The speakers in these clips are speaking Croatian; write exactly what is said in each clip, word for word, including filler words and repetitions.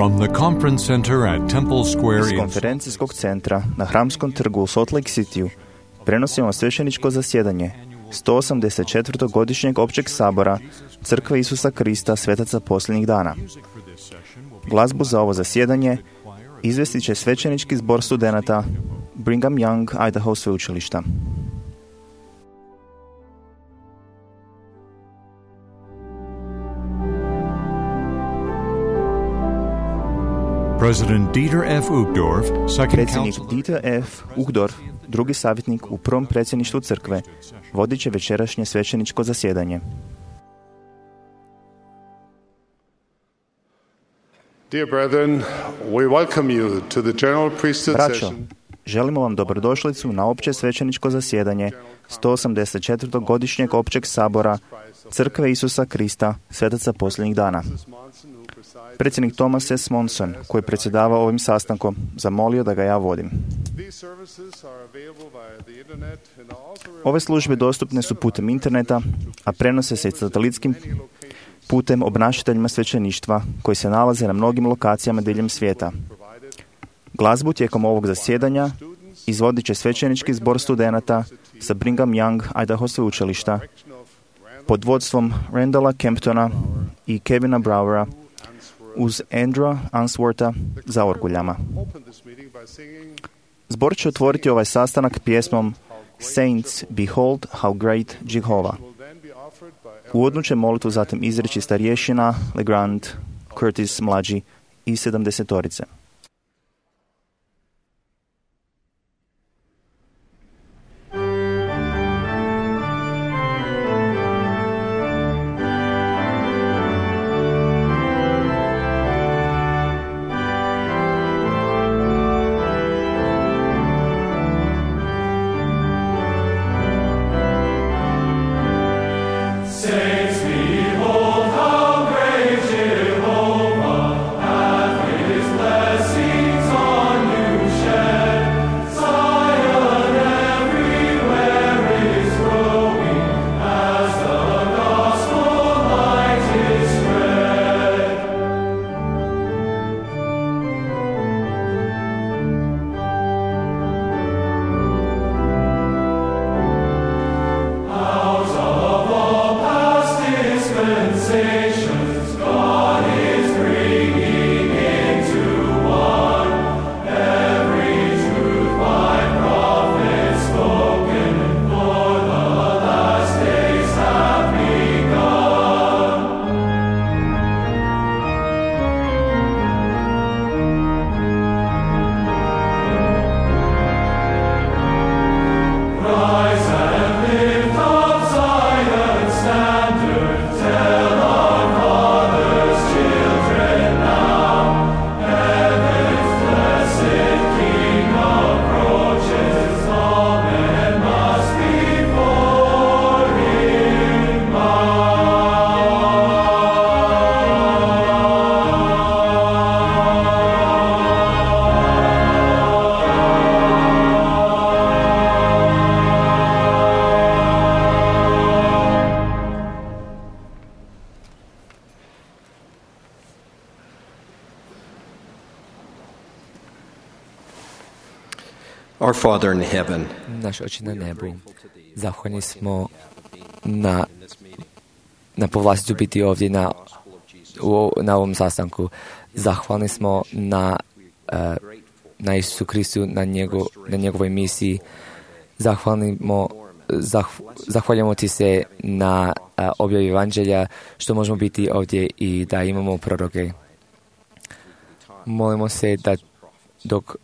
From the conference center at Temple Square Iz in konferencijskog centra na Hramskom trgu u Salt Lake Cityu prenosimo svećeničko zasjedanje sto osamdeset četvrtog godišnjeg općeg sabora Crkve Isusa Krista svetaca posljednjih dana. Glazbu za ovo zasjedanje izvestit će svećenički zbor studenata Brigham Young Idaho sveučilišta. President Dieter F. Uchtdorf, second Predsjednik counselor. Dieter F. Uchtdorf, drugi savjetnik u prvom predsjedništvu crkve, vodit će večerašnje svećeničko zasjedanje. Dear brethren, we welcome you to the general priesthood Braćo, session želimo vam dobrodošlicu na opće svećeničko zasjedanje sto osamdeset četvrtog godišnjeg općeg sabora Crkve Isusa Krista svetaca posljednjih dana. Predsjednik Thomas S. Monson, koji je predsjedavao ovim sastankom, zamolio da ga ja vodim. Ove službe dostupne su putem interneta, a prenose se i satelitskim putem obnašateljima svećeništva koji se nalaze na mnogim lokacijama diljem svijeta. Glazbu tijekom ovog zasjedanja izvodit će svećenički zbor studenata sa Brigham Young Idaho sveučilišta pod vodstvom Randalla Kemptona i Kevina Browera uz Andrewa Answortha za orguljama. Zbor će otvoriti ovaj sastanak pjesmom Saints, Behold how great Jehovah. Uvodnu će molitvu zatim izreći starješina Legrand Curtis mlađi i sedamdesetorice. Our Father in heaven, Naš Oče na nebu, zahvalni smo na, na povlastiću biti ovdje na, u, na ovom sastanku. Zahvalni smo na, uh, na Isusu Kristu, na, njego, na njegovoj misiji. Zahvalimo, zah, zahvaljamo ti se na uh, objavi evanđelja, što možemo biti ovdje i da imamo proroke. Molimo se da dok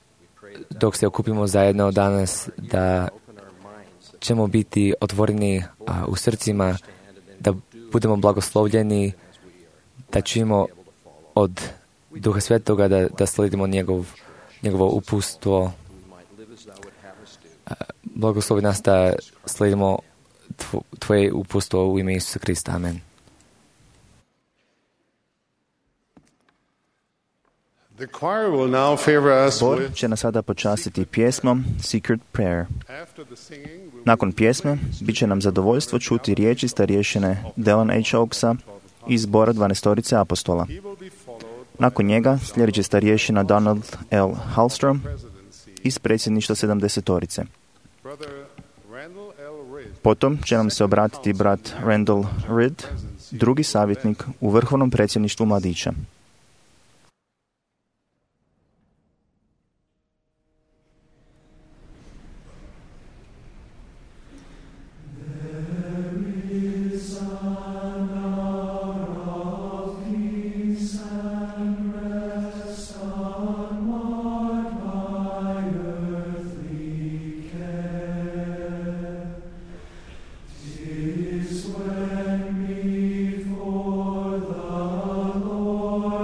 dok se okupimo zajedno danas, da ćemo biti otvoreni a, u srcima, da budemo blagoslovljeni, da čujemo od Duha Svetoga da, da slijedimo njegov, njegovo uputstvo. Blagoslovi nas da slijedimo tvo, tvoje uputstvo u ime Isusa Krista. Amen. Zbor će nas sada počastiti pjesmom Secret Prayer. Nakon pjesme bit će nam zadovoljstvo čuti riječi starješine Dallin H. Oaksa iz zbora dvanaestorice apostola. Nakon njega slijedit će starješina Donald L. Hallstrom iz predsjedništva sedamdesetorice. Potom će nam se obratiti brat Randall Reed, drugi savjetnik u vrhovnom predsjedništvu mladića. Lord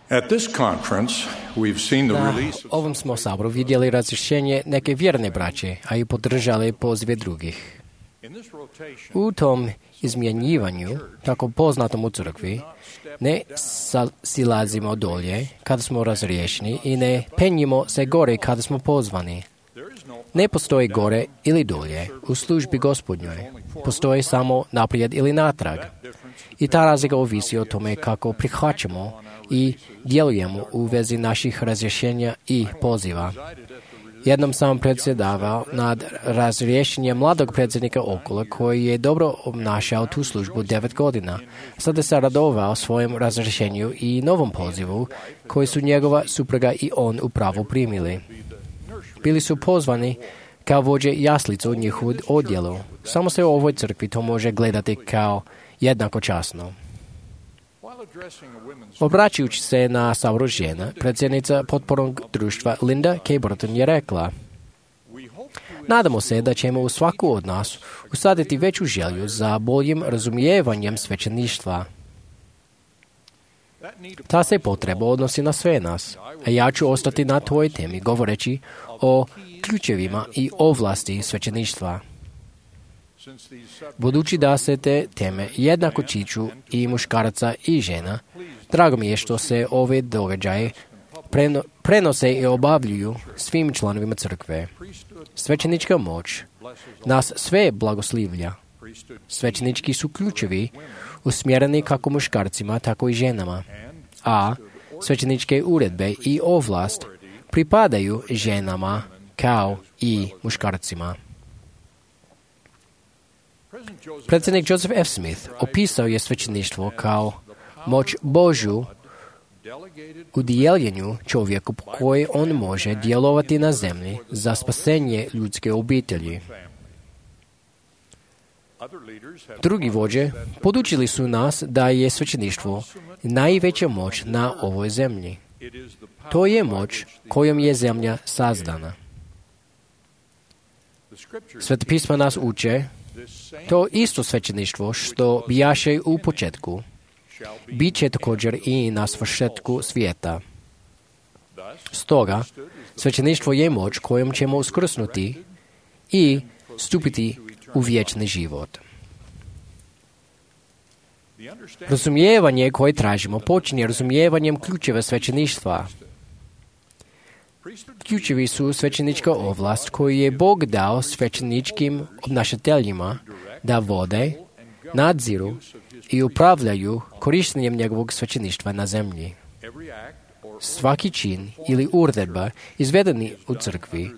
At this conference, we've seen the Na release of ovom smo saboru vidjeli razrješenje neke vjerne braće, a i podržali pozive drugih. U tom izmjenjivanju, tako poznatom u crkvi, ne silazimo dolje kada smo razriješeni i ne penjimo se gore kada smo pozvani. Ne postoji gore ili dolje u službi Gospodnjoj. Postoji samo naprijed ili natrag. I ta razlika ovisi o tome kako prihvaćamo i djelujemo u vezi naših razrješenja i poziva. Jednom sam predsjedavao nad razrješenjem mladog predsjednika Okola koji je dobro obnašao tu službu devet godina. Sada se radovao svojem razrješenju i novom pozivu koji su njegova supruga i on upravo primili. Bili su pozvani kao vođe jaslica u njihovu odjelu. Samo se u ovoj crkvi to može gledati kao jednako časno. Obraćajući se na saboru žena, predsjednica potpornog društva Linda K. Burton je rekla: nadamo se da ćemo u svaku od nas usaditi veću želju za boljim razumijevanjem svećeništva. Ta se potreba odnosi na sve nas, a ja ću ostati na toj temi govoreći o ključevima i ovlasti svećeništva. Budući da se te teme jednako tiču i muškaraca i žena, drago mi je što se ove događaje preno, prenose i obavljuju svim članovima crkve. Svećenička moć nas sve blagoslivlja. Svećenički su ključevi usmjereni kako muškarcima, tako i ženama, a svećeničke uredbe i ovlast pripadaju ženama kao i muškarcima. Predsjednik Joseph F. Smith opisao je svećeništvo kao moć Božju u dijeljenju čovjeku po kojoj on može djelovati na zemlji za spasenje ljudske obitelji. Drugi vođe podučili su nas da je svećeništvo najveća moć na ovoj zemlji. To je moć kojom je zemlja sazdana. Sveta pisma nas uče to isto svećeništvo što bijaše u početku, bit će također i na svršetku svijeta. Stoga, svećeništvo je moć kojom ćemo uskrsnuti i stupiti u vječni život. Razumijevanje koje tražimo počinje razumijevanjem ključeva svećeništva. Ključevi su svećenička ovlast koju je Bog dao svećeničkim obnašateljima da vode, nadziru i upravljaju korištenjem njegovog svećeništva na zemlji. Svaki čin ili uredba izvedeni u crkvi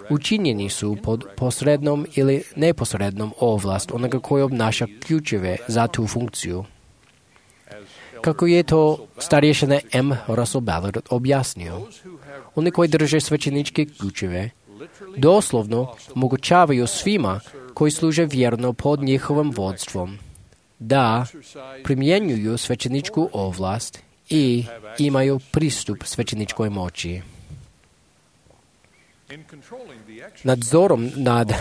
učinjeni su pod posrednom ili neposrednom ovlast onoga koji obnaša ključeve za tu funkciju. Kako je to starješina M. Russell Ballard objasnio, oni koji drže svećeničke ključeve doslovno omogućavaju svima koji služe vjerno pod njihovim vodstvom da primjenjuju svećeničku ovlast i imaju pristup svećeničkoj moći. Nadzorom nad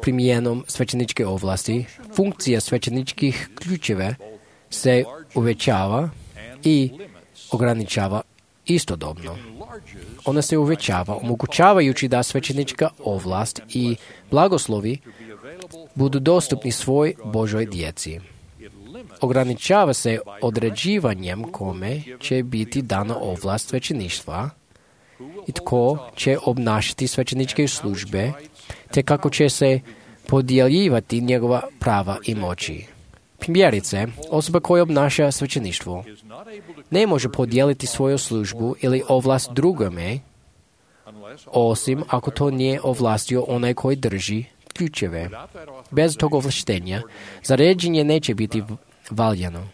primjenom svećeničke ovlasti, funkcija svećeničkih ključeva se uvećava i ograničava istodobno. Ona se uvećava, omogućavajući da svećenička ovlast i blagoslovi budu dostupni svoj Božoj djeci. Ograničava se određivanjem kome će biti dana ovlast svećeništva i tko će obnašati svećeničke službe, te kako će se podjeljivati njegova prava i moći. Primjerice, osoba koja obnaša svećeništvo ne može podijeliti svoju službu ili ovlast drugome, osim ako to nije ovlastio onaj koji drži ključeve. Bez tog ovlaštenja, zaređenje neće biti valjano.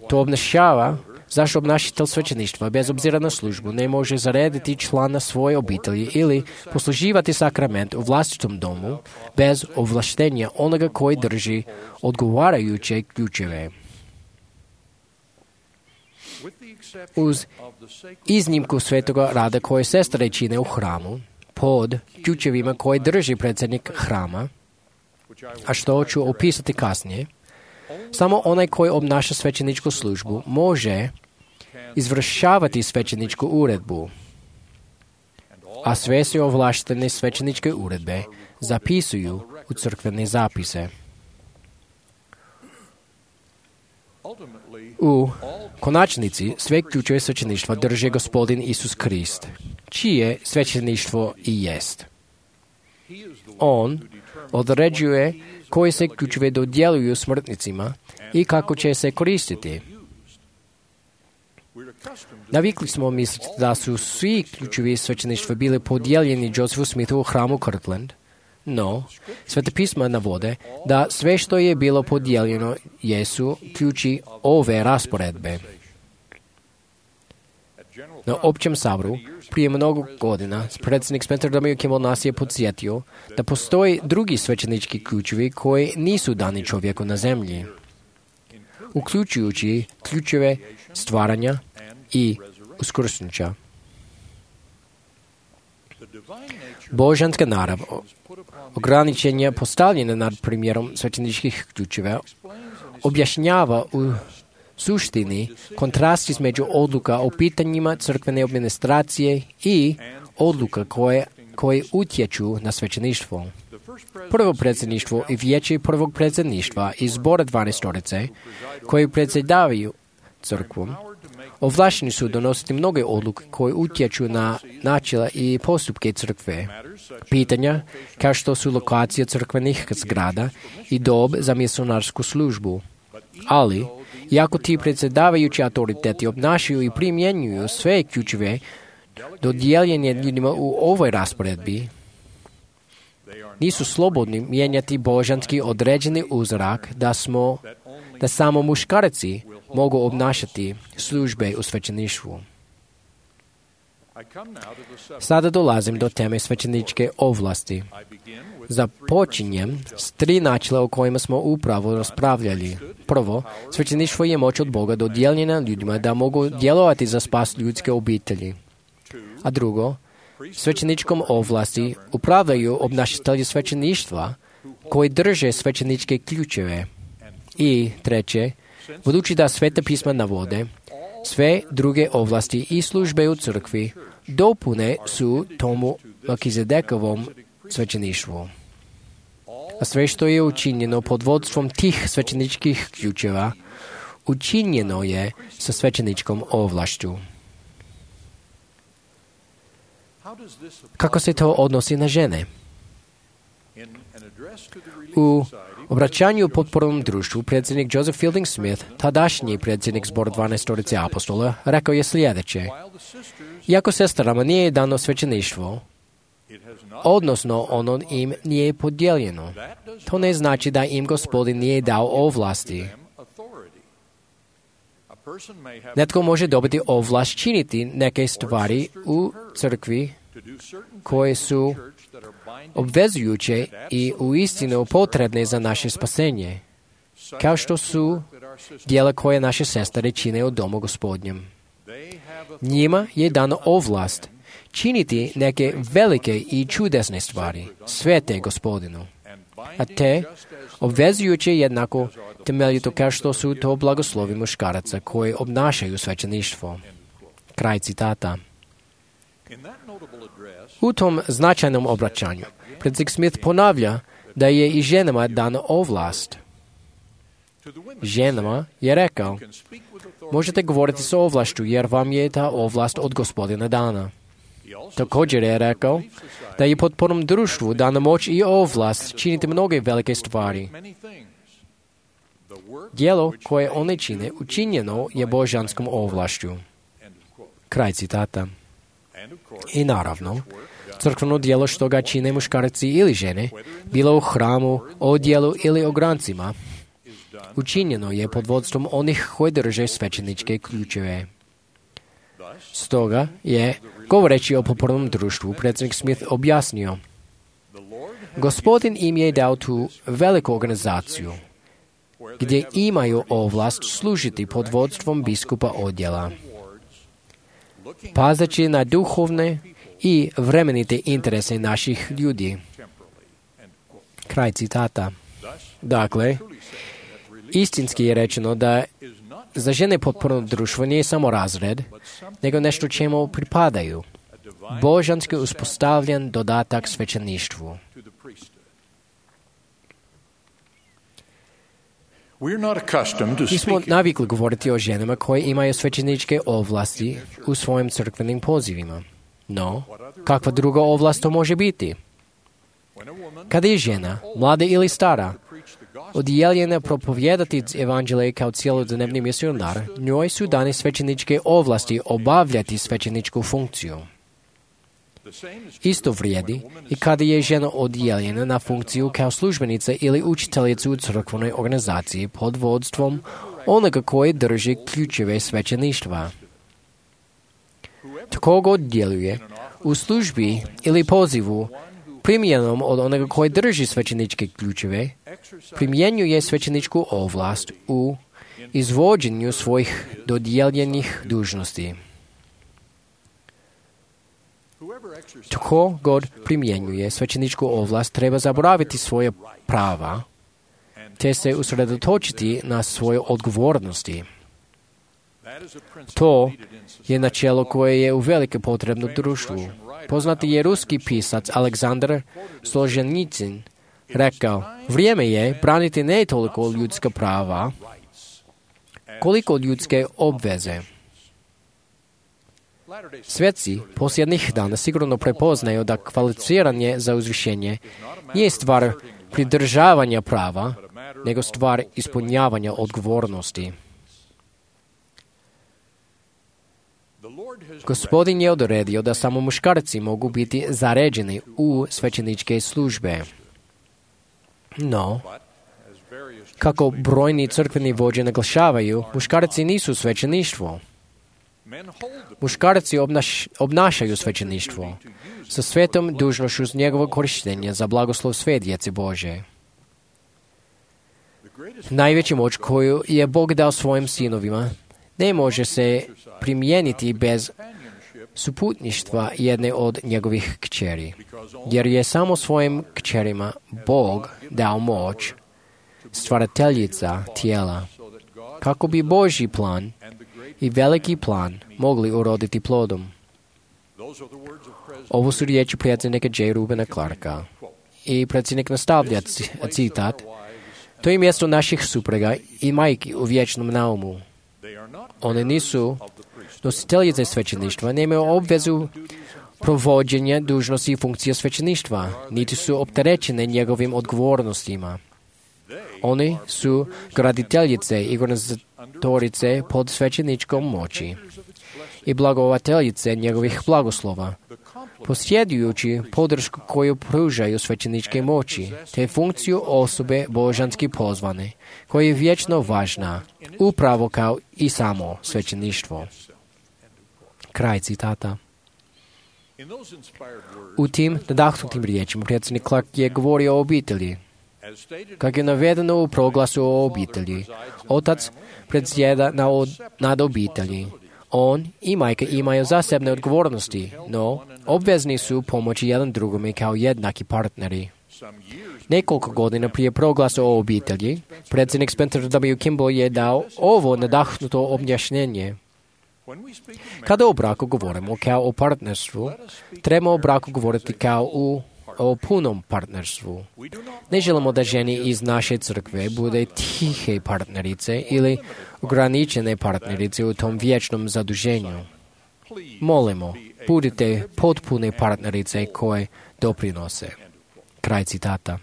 To obnašava zašto obnašatelj svećeništva, bez obzira na službu, ne može zarediti člana svoje obitelji ili posluživati sakrament u vlastitom domu bez ovlaštenja onoga koji drži odgovarajuće ključeve. Uz iznimku svetoga rada koje sestre čine u hramu, pod ključevima koje drži predsjednik hrama, a što ću opisati kasnije, samo onaj koji obnaša svećeničku službu može izvršavati svećeničku uredbu, a sve se ovlaštene svećeničke uredbe zapisuju u crkvene zapise. U konačnici sve ključeve svećeništva drži Gospodin Isus Krist, čije svećeništvo i jest. On određuje koje se ključeve dodjeljuju smrtnicima i kako će se koristiti. Navikli smo misliti da su svi ključevi svećeništva bili podijeljeni Josephu Smithu u hramu Kirtland, no Sveta pisma navode da sve što je bilo podijeljeno jesu ključi ove rasporedbe. Na općem saboru prije mnogo godina predsjednik Spencer W. Kimball nas je podsjetio da postoji drugi svećenički ključevi koji nisu dani čovjeku na zemlji, uključujući ključeve stvaranja i uskrsnuća. Božanska narav ograničenja postavljena nad primjerom svećeničkih ključeva objašnjava u suštini kontrast između odluka o pitanjima crkvene administracije i odluka koje, koje utječu na svećeništvo. Prvo predsjedništvo i vijeće prvog predsjedništva iz zbora dvanaestorice koji predsjedavaju crkvom ovlašteni su donositi mnoge odluke koje utječu na načela i postupke crkve. Pitanja kao što su lokacija crkvenih zgrada i dob za misionarsku službu. Ali, iako ti predsjedavajući autoriteti obnašaju i primjenjuju sve ključeve dodijeljene ljudima u ovoj rasporedbi, nisu slobodni mijenjati božanski određeni uzorak da smo, da samo muškarci mogu obnašati službe u svećeništvu. Sada dolazim do teme svećeničke ovlasti. Započinjem s tri načela o kojima smo upravo raspravljali. Prvo, svećeništvo je moć od Boga dodijeljena ljudima da mogu djelovati za spas ljudske obitelji. A drugo, svećeničkom ovlasti upravljaju obnašatelji svećeništva koji drže svećeničke ključeve. I treće, budući da Sveta pisma navode, sve druge ovlasti i službe u crkvi dopune su tomu Melkizedekovom svećeništvu. A sve što je učinjeno pod vodstvom tih svećeničkih ključeva, učinjeno je sa svećeničkom ovlašću. Kako se to odnosi na žene? U obraćanju potpornom društvu predsjednik Joseph Fielding Smith, tadašnji predsjednik zbora dvanaestorice apostola, rekao je sljedeće: iako sestrama nije dano svećeništvo, odnosno ono im nije podijeljeno, to ne znači da im Gospodin nije dao ovlasti. Netko može dobiti ovlast činiti neke stvari u crkvi koje su obvezujuće i uistinu potrebne za naše spasenje, kao što su djela koje naše sestre čine u domu Gospodnjem. Njima je dano ovlast činiti neke velike i čudesne stvari, svete Gospodinu, a te obvezujuće jednako temeljito kao što su to blagoslovi muškaraca koji obnašaju svećeništvo. Kraj citata. U tom značajnom obraćanju predsjednik Smith ponavlja da je i ženama dana ovlast. Ženama je rekao: možete govoriti s ovlašću jer vam je ta ovlast od Gospodina dana. Također je rekao da je potpornom društvu dana moć i ovlast činiti mnoge velike stvari. Djelo koje one čine učinjeno je božanskom ovlašću. Kraj citata. I naravno, crkveno djelo što ga čine muškarci ili žene, bilo u hramu, odjelu ili ograncima, učinjeno je pod vodstvom onih koji drže svećeničke ključeve. Stoga je, govoreći o potpornom društvu, predsjednik Smith objasnio: Gospodin im je dao tu veliku organizaciju, gdje imaju ovlast služiti pod vodstvom biskupa odjela, pazeći na duhovne i vremenite interese naših ljudi. Kraj citata. Dakle, istinski je rečeno da za žene potpuno društvo nije samo razred, nego nešto čemu pripadaju. Božanski uspostavljen dodatak svećeništvu. Nismo navikli govoriti o ženama koje imaju svećeničke ovlasti u svojim crkvenim pozivima. No, kakva druga ovlast to može biti? Kada je žena, mlada ili stara, odjeljena propovijedati evanđelje kao cjelodnevni misionar, njoj su dane svećeničke ovlasti obavljati svećeničku funkciju. Isto vrijedi i kada je žena odjeljena na funkciju kao službenica ili učiteljica u crkvenoj organizaciji pod vodstvom onoga koji drži ključeve svećeništva. Tko god djeluje u službi ili pozivu primjenom od onoga koji drži svećeničke ključeve, primjenjuje svećeničku ovlast u izvođenju svojih dodijeljenih dužnosti. Tko god primjenjuje svećeničku ovlast treba zaboraviti svoje prava, te se usredotočiti na svoje odgovornosti. To je načelo koje je uvelike potrebno društvu. Poznati je ruski pisac Aleksandar Solženicin rekao, vrijeme je braniti ne toliko ljudska prava, koliko ljudske obveze. Svjetci posljednjih dana sigurno prepoznaju da kvalificiranje za uzvišenje nije stvar pridržavanja prava, nego stvar ispunjavanja odgovornosti. Gospodin je odredio da samo muškarci mogu biti zaređeni u svećeničke službe. No, kako brojni crkveni vođe naglašavaju, muškarci nisu svećeništvo. Muškarci obnaš, obnašaju svećeništvo sa svetom dužnošću njegovog korištenja za blagoslov sve djece Bože. Najveća moć koju je Bog dao svojim sinovima ne može se primijeniti bez suputništva jedne od njegovih kćeri, jer je samo svojim kćerima Bog dao moć, stvarateljica tijela, kako bi Božji plan i veliki plan mogli uroditi plodom. Ovo su riječi predsjednika J. Rubena Clarka. I predsjednik nastavlja citat. To je mjesto naših supruga i majki u vječnom naumu. One nisu nositeljice svećeništva, nemaju obvezu provođenja dužnosti i funkcije svećeništva, niti su opterećene njegovim odgovornostima. Oni su graditeljice i organizatorice pod svećeničkom moći i blagovateljice njegovih blagoslova, posjedujući podršku koju pružaju svećeničke moći, te funkciju osobe božanski pozvane, koja je vječno važna, upravo kao i samo svećeništvo. Kraj citata. U tim nadahnutim riječima predsjednik Clark je govorio o obitelji. Kako je navedeno u proglasu o obitelji, otac predsjeda nad obitelji. On i majka imaju zasebne odgovornosti, no obvezni su pomoći jedan drugome kao jednaki partneri. Nekoliko godina prije proglasa o obitelji, predsjednik Spencer W. Kimball je dao ovo nadahnuto objašnjenje. Kada o braku govorimo kao o partnerstvu, treba o braku govoriti kao u o punom partnerstvu. Ne želimo da žene iz naše crkve bude tihe partnerice ili ograničene partnerice u tom vječnom zaduženju. Molimo, budite potpune partnerice koje doprinose. Kraj citata.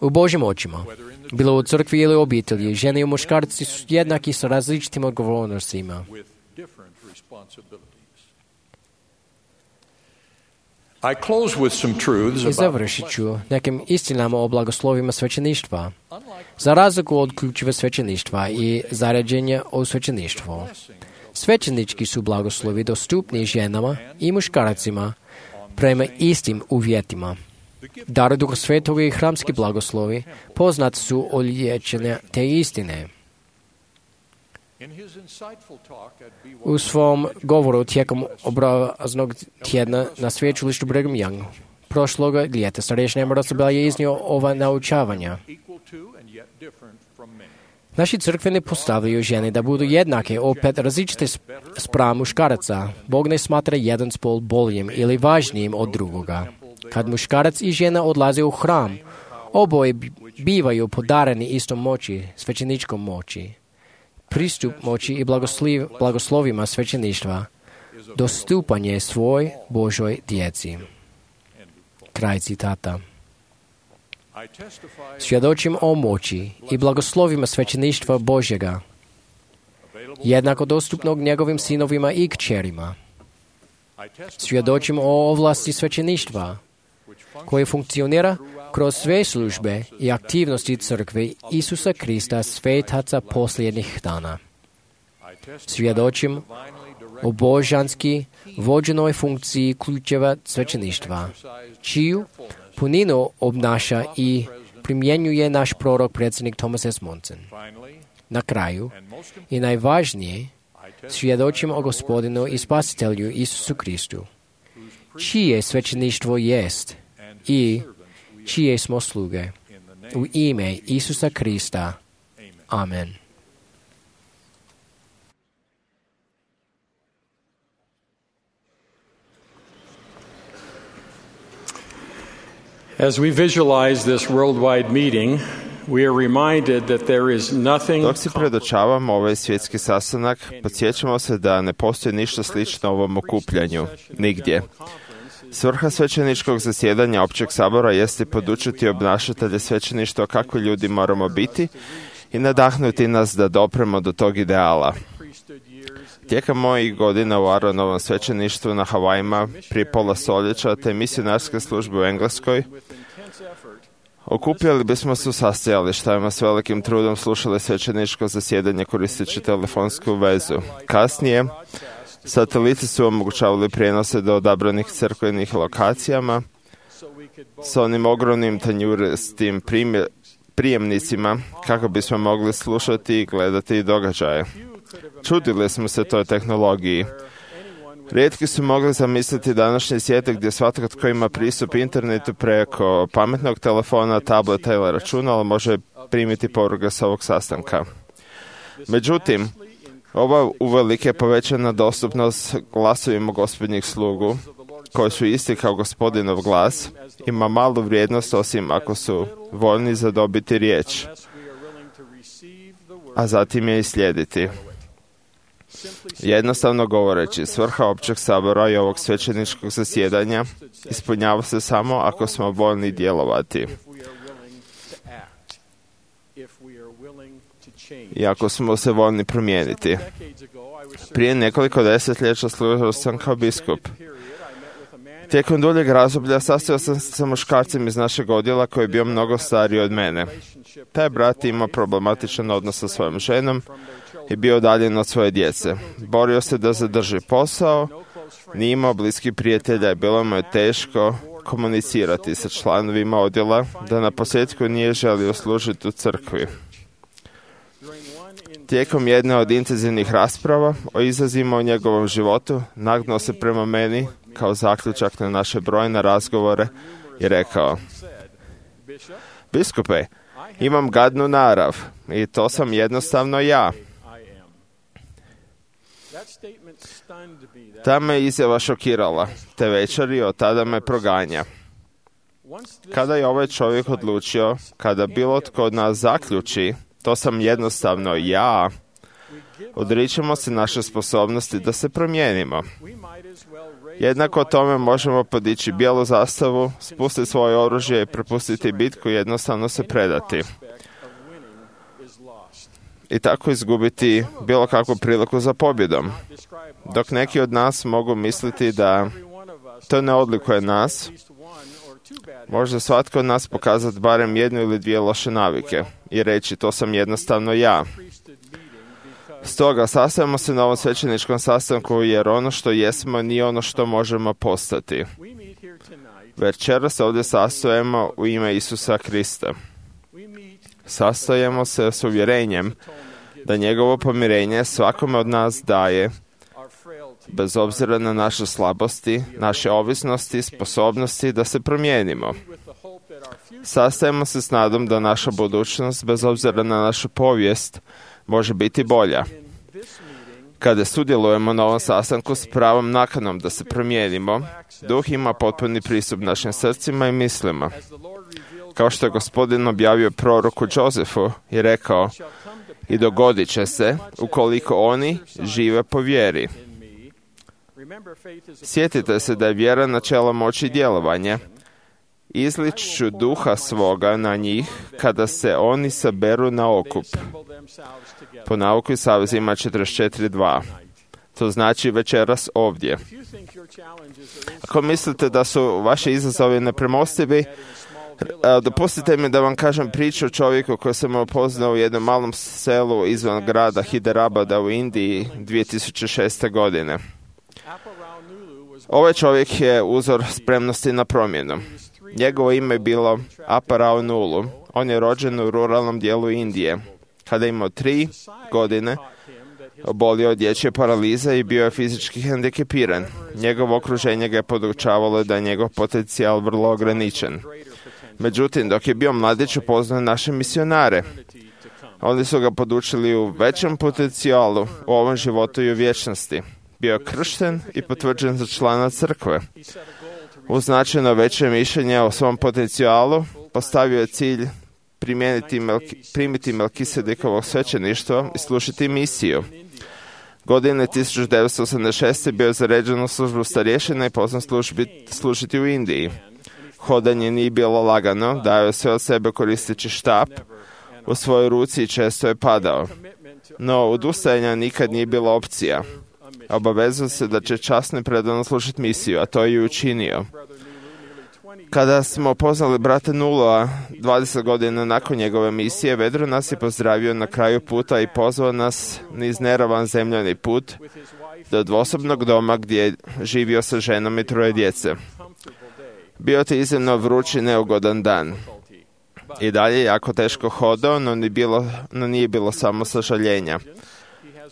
U Božjim očima, bilo u crkvi ili u obitelji, žene i muškarci su jednaki sa različitim odgovornostima. I završit ću nekim istinama o blagoslovima svećeništva. Za razliku od ključeva svećeništva i zaređenja o svećeništvu, svećenički su blagoslovi dostupni ženama i muškarcima prema istim uvjetima. Dar Duha Svetoga i hramski blagoslovi poznat su od liječenja te istine. U svom govoru tijekom obraznog tjedna na sveučilištu Brigham Young prošloga ljeta starješina Emerald Sabel je iznio ova naučavanja. Naši crkveni postavljaju žene da budu jednake, opet različite spram muškaraca. Bog ne smatra jedan spol boljim ili važnijim od drugoga. Kad muškarac i žena odlaze u hram, oboje bivaju podareni istom moći, svećeničkom moći. Pristup moći i blagoslovima svećeništva, dostupanje svoj Božoj djeci. Kraj citata. Svjedočim o moći i blagoslovima svećeništva Božjega, jednako dostupnog njegovim sinovima i kćerima. Svjedočim o ovlasti svećeništva, koje funkcionira kroz sve službe i aktivnosti crkve Isusa Krista, svetaca posljednjih dana. Svjedočim o božanski vođenoj funkciji ključeva svećeništva, čiju puninu obnaša i primjenjuje naš prorok predsjednik Thomas S. Monson. Na kraju, i najvažnije, svjedočim o Gospodinu i Spasitelju Isusu Kristu, čije svećeništvo jest i čije smo sluge. U ime Isusa Krista. Amen. As we visualize this worldwide meeting, we are reminded that there is nothing. Dok si predočavamo ovaj svjetski sastanak, podsjećamo se da ne postoji ništa slično ovom okupljanju, nigdje. Svrha svećeničkog zasjedanja općeg sabora jeste podučiti obnašatelje svećeništva kakvi ljudi moramo biti i nadahnuti nas da dopremo do tog ideala. Tijekom mojih godina u Aronovom svećeništvu na Havajima prije pola stoljeća te misionarske službe u Engleskoj, okupljali bismo se u sastajalištima s velikim trudom slušali svećeničko zasjedanje koristeći telefonsku vezu. Kasnije, sateliti su omogućavali prijenose do odabranih crkvenih lokacijama s onim ogromnim tanjuristim prijemnicima kako bismo mogli slušati i gledati događaje. Čudili smo se toj tehnologiji. Rijetki su mogli zamisliti današnji svijet gdje svatko tko ima pristup internetu preko pametnog telefona, tableta ili računala može primiti poruke s ovog sastanka. Međutim, ova uvelike povećana dostupnost glasovima Gospodnjih slugu, koji su isti kao Gospodinov glas, ima malu vrijednost osim ako su voljni zadobiti riječ, a zatim je i slijediti. Jednostavno govoreći, svrha općeg sabora i ovog svećeničkog zasjedanja ispunjava se samo ako smo voljni djelovati i ako smo se voljni promijeniti. Prije nekoliko desetljeća služio sam kao biskup. Tijekom duljeg razdoblja sastojao sam se sa muškarcem iz našeg odjela koji je bio mnogo stariji od mene. Taj brat imao problematičan odnos sa svojom ženom i bio udaljen od svoje djece. Borio se da zadrži posao, nije imao bliskih prijatelja i bilo mu je teško komunicirati sa članovima odjela, da na posljedku nije želio služiti u crkvi. Tijekom jedne od intenzivnih rasprava o izazima u njegovom životu nagnuo se prema meni kao zaključak na naše brojne razgovore i rekao: Biskupe, imam gadnu narav i to sam jednostavno ja. Ta me izjava šokirala, te večeri od tada me proganja. Kada je ovaj čovjek odlučio, kada bilo tko od nas zaključi, to sam jednostavno ja, odričemo se naše sposobnosti da se promijenimo. Jednako tome možemo podići bijelu zastavu, spustiti svoje oružje i prepustiti bitku i jednostavno se predati. I tako izgubiti bilo kakvu priliku za pobjedom. Dok neki od nas mogu misliti da to ne odlikuje nas, može svatko od nas pokazati barem jednu ili dvije loše navike i reći to sam jednostavno ja. Stoga sastajemo se na ovom svećeničkom sastanku jer ono što jesmo nije ono što možemo postati. Večeras se ovdje sastojemo u ime Isusa Krista. Sastojemo se s uvjerenjem da njegovo pomirenje svakome od nas daje, bez obzira na naše slabosti, naše ovisnosti, sposobnosti da se promijenimo. Sastajemo se s nadom da naša budućnost, bez obzira na našu povijest, može biti bolja. Kada sudjelujemo na ovom sastanku s pravom nakanom da se promijenimo, Duh ima potpuni pristup našim srcima i mislima. Kao što je Gospodin objavio proroku Jozefu i rekao, i dogodit će se ukoliko oni žive po vjeri. Sjetite se da je vjera načelo moći i djelovanja. Izlić ću duha svoga na njih kada se oni saberu na okup. Po nauku i savezima četrdeset četiri dva. To znači večeras ovdje. Ako mislite da su vaši izazovi nepremostivi, dopustite mi da vam kažem priču o čovjeku koji sam upoznao u jednom malom selu izvan grada Hyderabada u Indiji dvije tisuće šeste. godine. Ovaj čovjek je uzor spremnosti na promjenu. Njegovo ime je bilo Apa Rao Nulu. On je rođen u ruralnom dijelu Indije. Kada je imao tri godine, obolio od dječje paralize i bio je fizički hendikepiran. Njegovo okruženje ga je podučavalo da je njegov potencijal vrlo ograničen. Međutim, dok je bio mladić, upoznao naše misionare. Oni su ga podučili u većem potencijalu u ovom životu i u vječnosti. Bio je kršten i potvrđen za člana crkve. Uz značajno veće mišljenje o svom potencijalu, postavio je cilj primijeniti Melki, primiti Melkisedekovog svećeništva i slušati misiju. Godine tisuću devetsto osamdeset šeste. bio je zaređen u službu starješina i poznan službi, služiti u Indiji. Hodanje nije bilo lagano, dao je sve od sebe koristeći štap u svojoj ruci i često je padao. No, odustajanja nikad nije bila opcija. Obavezao se da će časno i predano slušati misiju, a to je i učinio. Kada smo poznali brata Nulua dvadeset godina nakon njegove misije, vedro nas je pozdravio na kraju puta i pozvao nas niz neravan zemljani put do dvosobnog doma gdje je živio sa ženom i troje djece. Bio je iznimno vruć i neugodan dan. I dalje je jako teško hodao, no nije bilo, no nije bilo samo sažaljenja.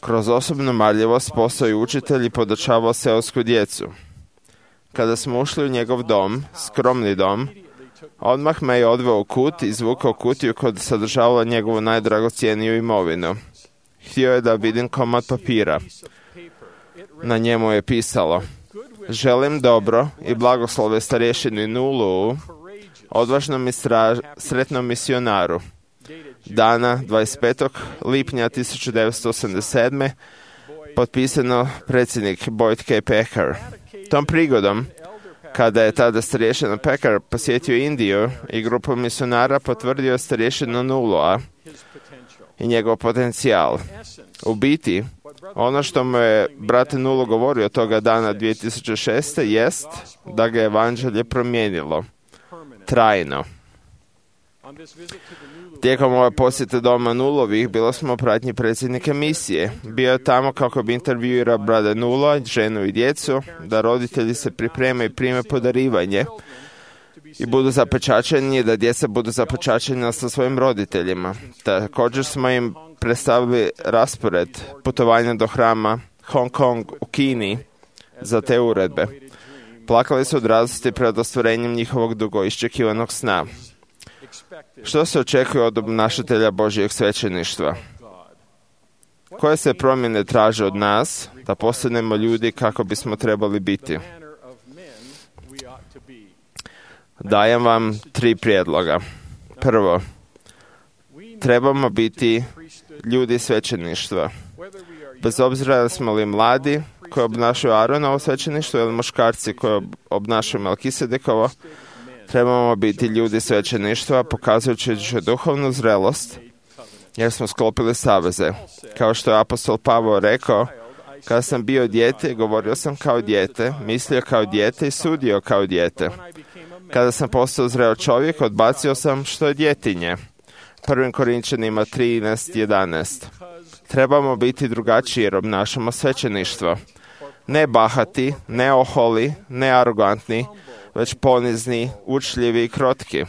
Kroz osobnu marljivost postao je učitelj i podučavao seosku djecu. Kada smo ušli u njegov dom, skromni dom, odmah me je odveo u kut i izvukao kutiju koja sadržavala njegovu najdragocjeniju imovinu. Htio je da vidim komad papira. Na njemu je pisalo: želim dobro i blagoslove starješini Nulu, odvažnom i straž, sretnom misionaru. Dana dvadeset petog lipnja tisuću devetsto osamdeset sedme. potpisano predsjednik Boyd K. Packer. Tom prigodom, kada je tada starješina Packer posjetio Indiju i grupu misionara, potvrdio starješinu Nulua i njegov potencijal. U biti, ono što mu je brat Nulu govorio toga dana dvije tisuće šeste. jest da ga je evanđelje promijenilo trajno. Tijekom ove posjete doma Nulovih bilo smo u pratnji predsjednika misije. Bio je tamo kako bi intervjuirao brada Nula, ženu i djecu, da roditelji se pripreme i prime podarivanje i budu zapečačeni, da djeca budu zapečačena sa svojim roditeljima. Također smo im predstavili raspored putovanja do hrama Hong Kong u Kini za te uredbe. Plakali su od radosti pred ostvarenjem njihovog dugo iščekivanog sna. Što se očekuje od obnašatelja Božjeg svećeništva? Koje se promjene traže od nas da postanemo ljudi kako bismo trebali biti? Dajem vam tri prijedloga. Prvo, trebamo biti ljudi svećeništva. Bez obzira da smo li mladi koji obnašaju Aaronovo svećeništvo ili muškarci koji obnašaju Melkisedekovo, trebamo biti ljudi svećeništva, pokazujući duhovnu zrelost, jer smo sklopili saveze. Kao što je apostol Pavao rekao, kada sam bio dijete, govorio sam kao dijete, mislio kao dijete i sudio kao dijete. Kada sam postao zreo čovjek, odbacio sam što je djetinje. Prvim Korinčanima trinaest jedanaest. Trebamo biti drugačiji jer obnašamo svećeništvo. Ne bahati, ne oholi, ne arogantni, već ponizni, učljivi i krotki.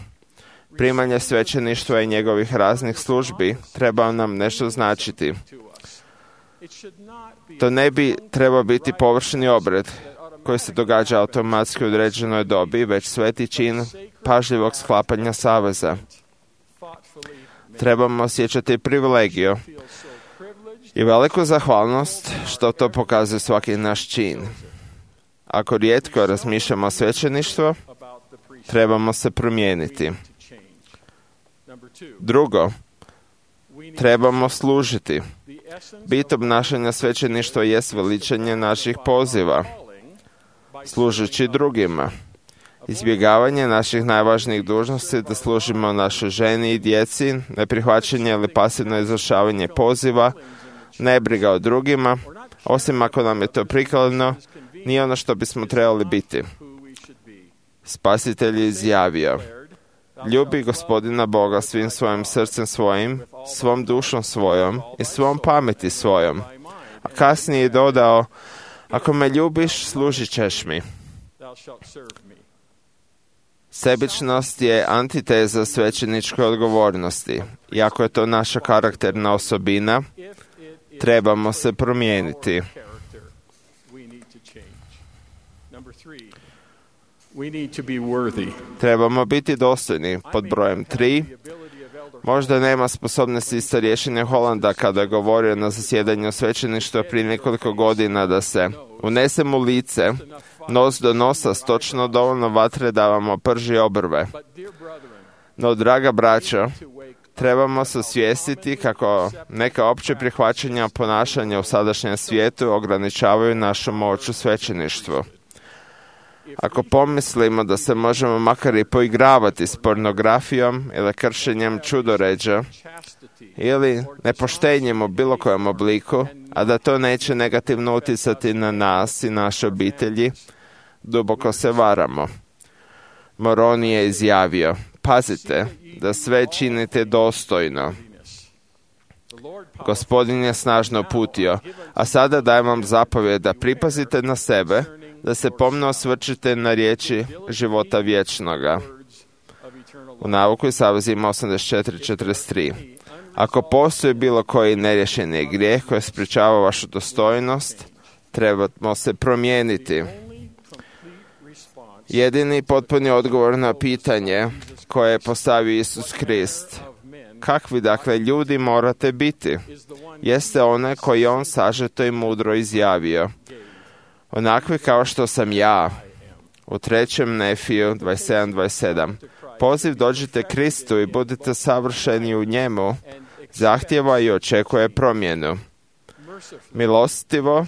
Primanje svećeništva i njegovih raznih službi treba nam nešto značiti. To ne bi trebao biti površni obred koji se događa automatski u određenoj dobi, već sveti čin pažljivog sklapanja saveza. Trebamo osjećati privilegiju i veliku zahvalnost što to pokazuje svaki naš čin. Ako rijetko razmišljamo o svećeništvu, trebamo se promijeniti. Drugo, trebamo služiti. Bit obnašanja svećeništva jest veličanje naših poziva, služeći drugima. Izbjegavanje naših najvažnijih dužnosti da služimo našoj ženi i djeci, neprihvaćanje ili pasivno izvršavanje poziva, nebriga o drugima, osim ako nam je to prikladno, nije ono što bismo trebali biti. Spasitelj je izjavio: ljubi Gospodina Boga svim svojim srcem svojim, svom dušom svojom i svom pameti svojom. A kasnije je dodao: ako me ljubiš, služit ćeš mi. Sebičnost je antiteza svećeničke odgovornosti. I ako je to naša karakterna osobina, trebamo se promijeniti. Trebamo biti dostojni. Pod brojem tri, možda nema sposobnosti starješine Holanda kada je govorio na zasjedanju svećeništva prije nekoliko godina da se unesem u lice, nos do nosa s točno dovoljno vatre da vam oprži obrve. No, draga braćo, trebamo se osvijestiti kako neka opće prihvaćanja ponašanja u sadašnjem svijetu ograničavaju našu moć u svećeništvu. Ako pomislimo da se možemo makar i poigravati s pornografijom ili kršenjem čudoređa ili nepoštenjem u bilo kojem obliku, a da to neće negativno utjecati na nas i naše obitelji, duboko se varamo. Moroni je izjavio: pazite da sve činite dostojno. Gospodin je snažno uputio, a sada dajem vam zapovjed da pripazite na sebe, da se pomno osvrćete na riječi života vječnoga. U Navuku i Savezima osamdeset četiri četrdeset tri. Ako postoji bilo koji neriješeni grijeh koji sprječava vašu dostojnost, trebamo se promijeniti. Jedini potpuni odgovor na pitanje koje je postavio Isus Krist: kakvi dakle ljudi morate biti, jeste one koji on sažeto i mudro izjavio: onakvi kao što sam ja. U trećem Nefiju dvadeset sedam dvadeset sedam. Poziv dođite Kristu i budite savršeni u njemu zahtjeva i očekuje promjenu. Milostivo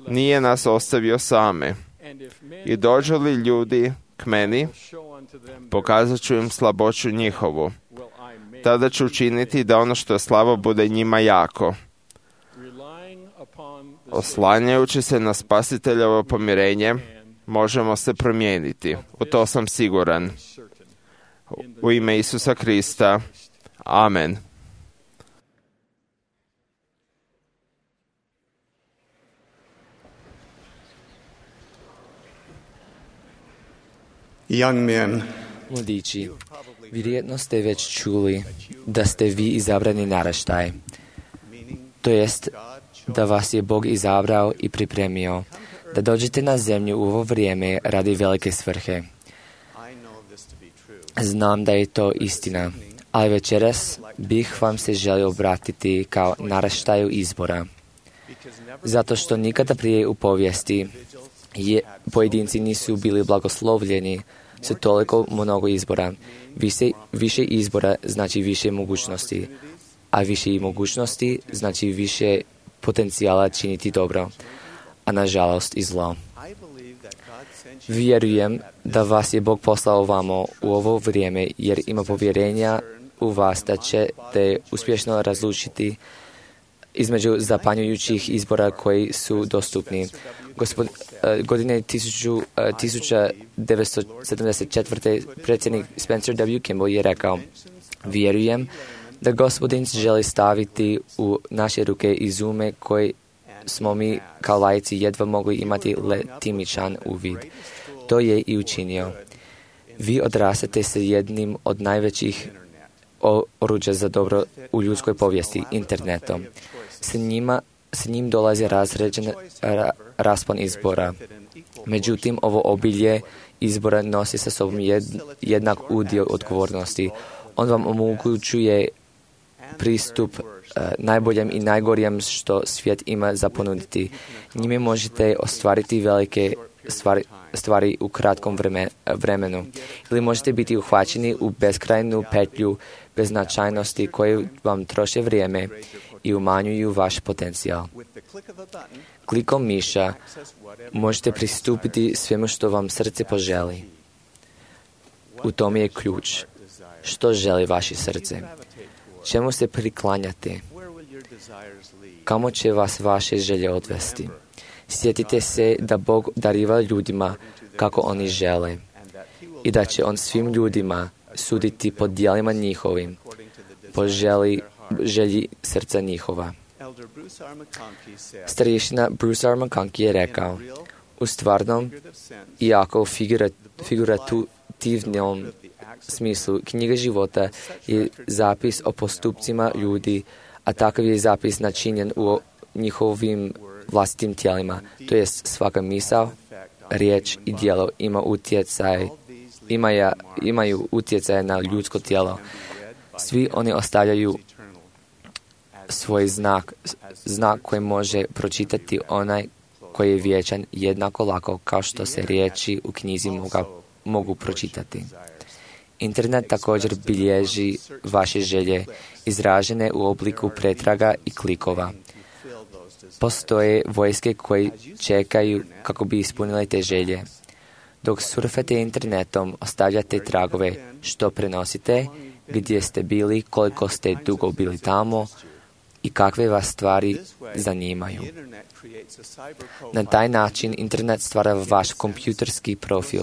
nije nas ostavio same. I dođu li ljudi k meni, pokazat ću im slaboću njihovu. Tada ću učiniti da ono što je slabo bude njima jako. Oslanjajući se na Spasiteljevo pomirenje, možemo se promijeniti. U to sam siguran. U ime Isusa Krista. Amen. Young men, mladići, vjerojatno ste već čuli da ste vi izabrani naraštaj. To jest da vas je Bog izabrao i pripremio da dođete na zemlju u ovo vrijeme radi velike svrhe. Znam da je to istina, ali večeras bih vam se želio obratiti kao naraštaju izbora. Zato što nikada prije u povijesti je, pojedinci nisu bili blagoslovljeni sa toliko mnogo izbora. Više, više izbora znači više mogućnosti, a više i mogućnosti znači više potencijala činiti dobro, a nažalost i zlo. Vjerujem da vas je Bog poslao vamo u ovo vrijeme jer ima povjerenja u vas da ćete uspješno razlučiti između zapanjujućih izbora koji su dostupni. Gospod, godine tisuća devetsto sedamdeset četvrte. predsjednik Spencer W. Kimball je rekao: vjerujem da Gospodin želi staviti u naše ruke izume koje smo mi kao laici jedva mogli imati letimičan uvid. To je i učinio. Vi odrastate sa jednim od najvećih oruđa za dobro u ljudskoj povijesti, internetom. S njima, s njim dolazi razređen ra, raspon izbora. Međutim, ovo obilje izbora nosi sa sobom jednak udio odgovornosti. On vam omogućuje pristup uh, najboljem i najgorijem što svijet ima za ponuditi. Njime možete ostvariti velike stvari, stvari u kratkom vreme, vremenu. Ili možete biti uhvaćeni u beskrajnu petlju beznačajnosti koje vam troše vrijeme i umanjuju vaš potencijal. Klikom miša možete pristupiti svemu što vam srce poželi. U tom je ključ. Što želi vaše srce? Čemu se priklanjate? Kamo će vas vaše želje odvesti? Sjetite se da Bog dariva ljudima kako oni žele i da će On svim ljudima suditi po djelima njihovim, po želji, želji srca njihova. Starješina Bruce R. McConkie je rekao, u stvarnom, iako figurat, figurativnom smislu, knjiga života je zapis o postupcima ljudi, a takav je zapis načinjen u njihovim vlastitim tijelima, to jest svaka misao, riječ i djelo ima utjecaj, imaju, imaju utjecaj na ljudsko tijelo. Svi oni ostavljaju svoj znak, znak koji može pročitati onaj koji je vječan jednako lako kao što se riječi u knjizi moga, mogu pročitati. Internet također bilježi vaše želje izražene u obliku pretraga i klikova. Postoje vojske koji čekaju kako bi ispunile te želje. Dok surfate internetom, ostavljate tragove što prenosite, gdje ste bili, koliko ste dugo bili tamo i kakve vas stvari zanimaju. Na taj način internet stvara vaš kompjuterski profil,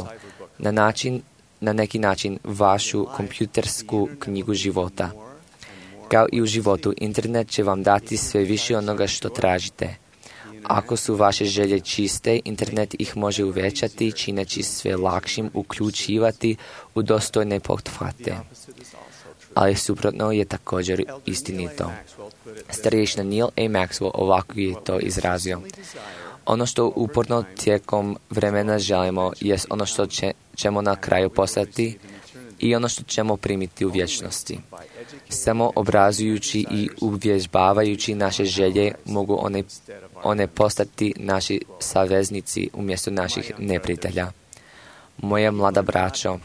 na, način, na neki način vašu kompjutersku knjigu života. Kao i u životu, internet će vam dati sve više onoga što tražite. Ako su vaše želje čiste, internet ih može uvećati, čineći sve lakšim uključivati u dostojne pothvate. Ali suprotno je također istinito. Starješina Neil A. Maxwell ovako je to izrazio. Ono što uporno tijekom vremena želimo jest ono što će, ćemo na kraju postati i ono što ćemo primiti u vječnosti. Samo obrazujući i uvježbavajući naše želje mogu one, one postati naši saveznici umjesto naših neprijatelja. Moja mlada braćo,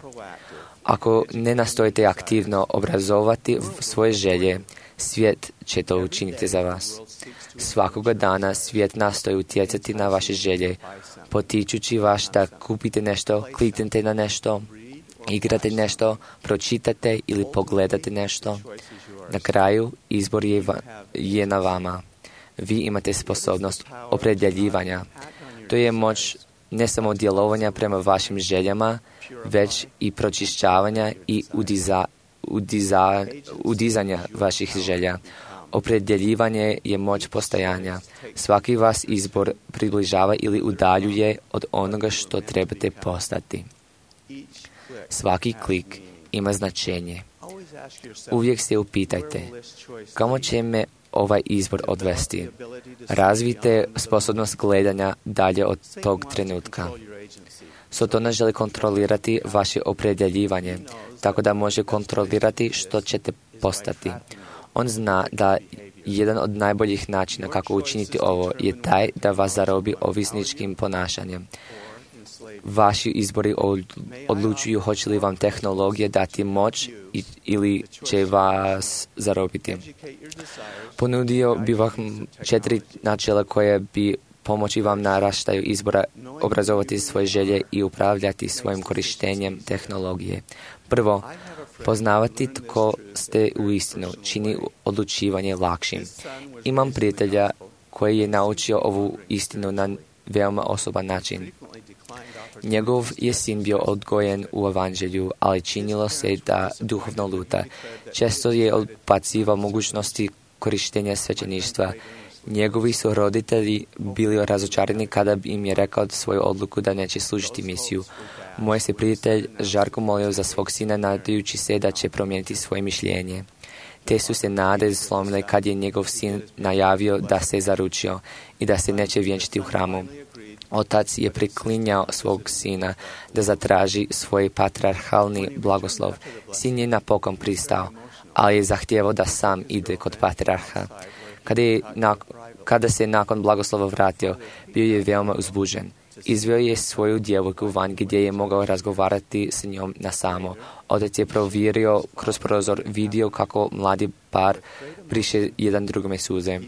ako ne nastojite aktivno obrazovati svoje želje, svijet će to učiniti za vas. Svakoga dana svijet nastoji utjecati na vaše želje, potičući vas da kupite nešto, kliknete na nešto, igrate nešto, pročitate ili pogledate nešto. Na kraju, izbor je, va, je na vama. Vi imate sposobnost opredjeljivanja. To je moć ne samo djelovanja prema vašim željama, već i pročišćavanja i udiza, udiza, udizanja vaših želja. Opredjeljivanje je moć postojanja. Svaki vas izbor približava ili udaljuje od onoga što trebate postati. Svaki klik ima značenje. Uvijek se upitajte, kamo će me ovaj izbor odvesti? Razvijte sposobnost gledanja dalje od tog trenutka. Sotona želi kontrolirati vaše opredjeljivanje, tako da može kontrolirati što ćete postati. On zna da jedan od najboljih načina kako učiniti ovo je taj da vas zarobi ovisničkim ponašanjem. Vaši izbori odlučuju hoće li vam tehnologija dati moć ili će vas zarobiti. Ponudio bi vam četiri načela koje bi pomoći vam naraštaju izbora obrazovati svoje želje i upravljati svojim korištenjem tehnologije. Prvo, poznavati tko ste u istinu čini odlučivanje lakšim. Imam prijatelja koji je naučio ovu istinu na veoma osoban način. Njegov je sin bio odgojen u evanđelju, ali činilo se da duhovno luta. Često je odbacivao mogućnosti korištenja svećeništva. Njegovi su roditelji bili razočarani kada im je rekao svoju odluku da neće služiti misiju. Moj se prijatelj žarko molio za svog sina, nadajući se da će promijeniti svoje mišljenje. Te su se nade slomile kad je njegov sin najavio da se zaručio i da se neće vjenčiti u hramu. Otac je priklinjao svog sina da zatraži svoj patriarhalni blagoslov. Sin je napokon pristao, ali je zahtijevao da sam ide kod patriarha. Kada, je, kada se nakon blagoslova vratio, bio je veoma uzbuđen. Izveo je svoju djevojku van gdje je mogao razgovarati s njom na samo. Otac je provjerio kroz prozor, vidio kako mladi par briše jedan drugome suze.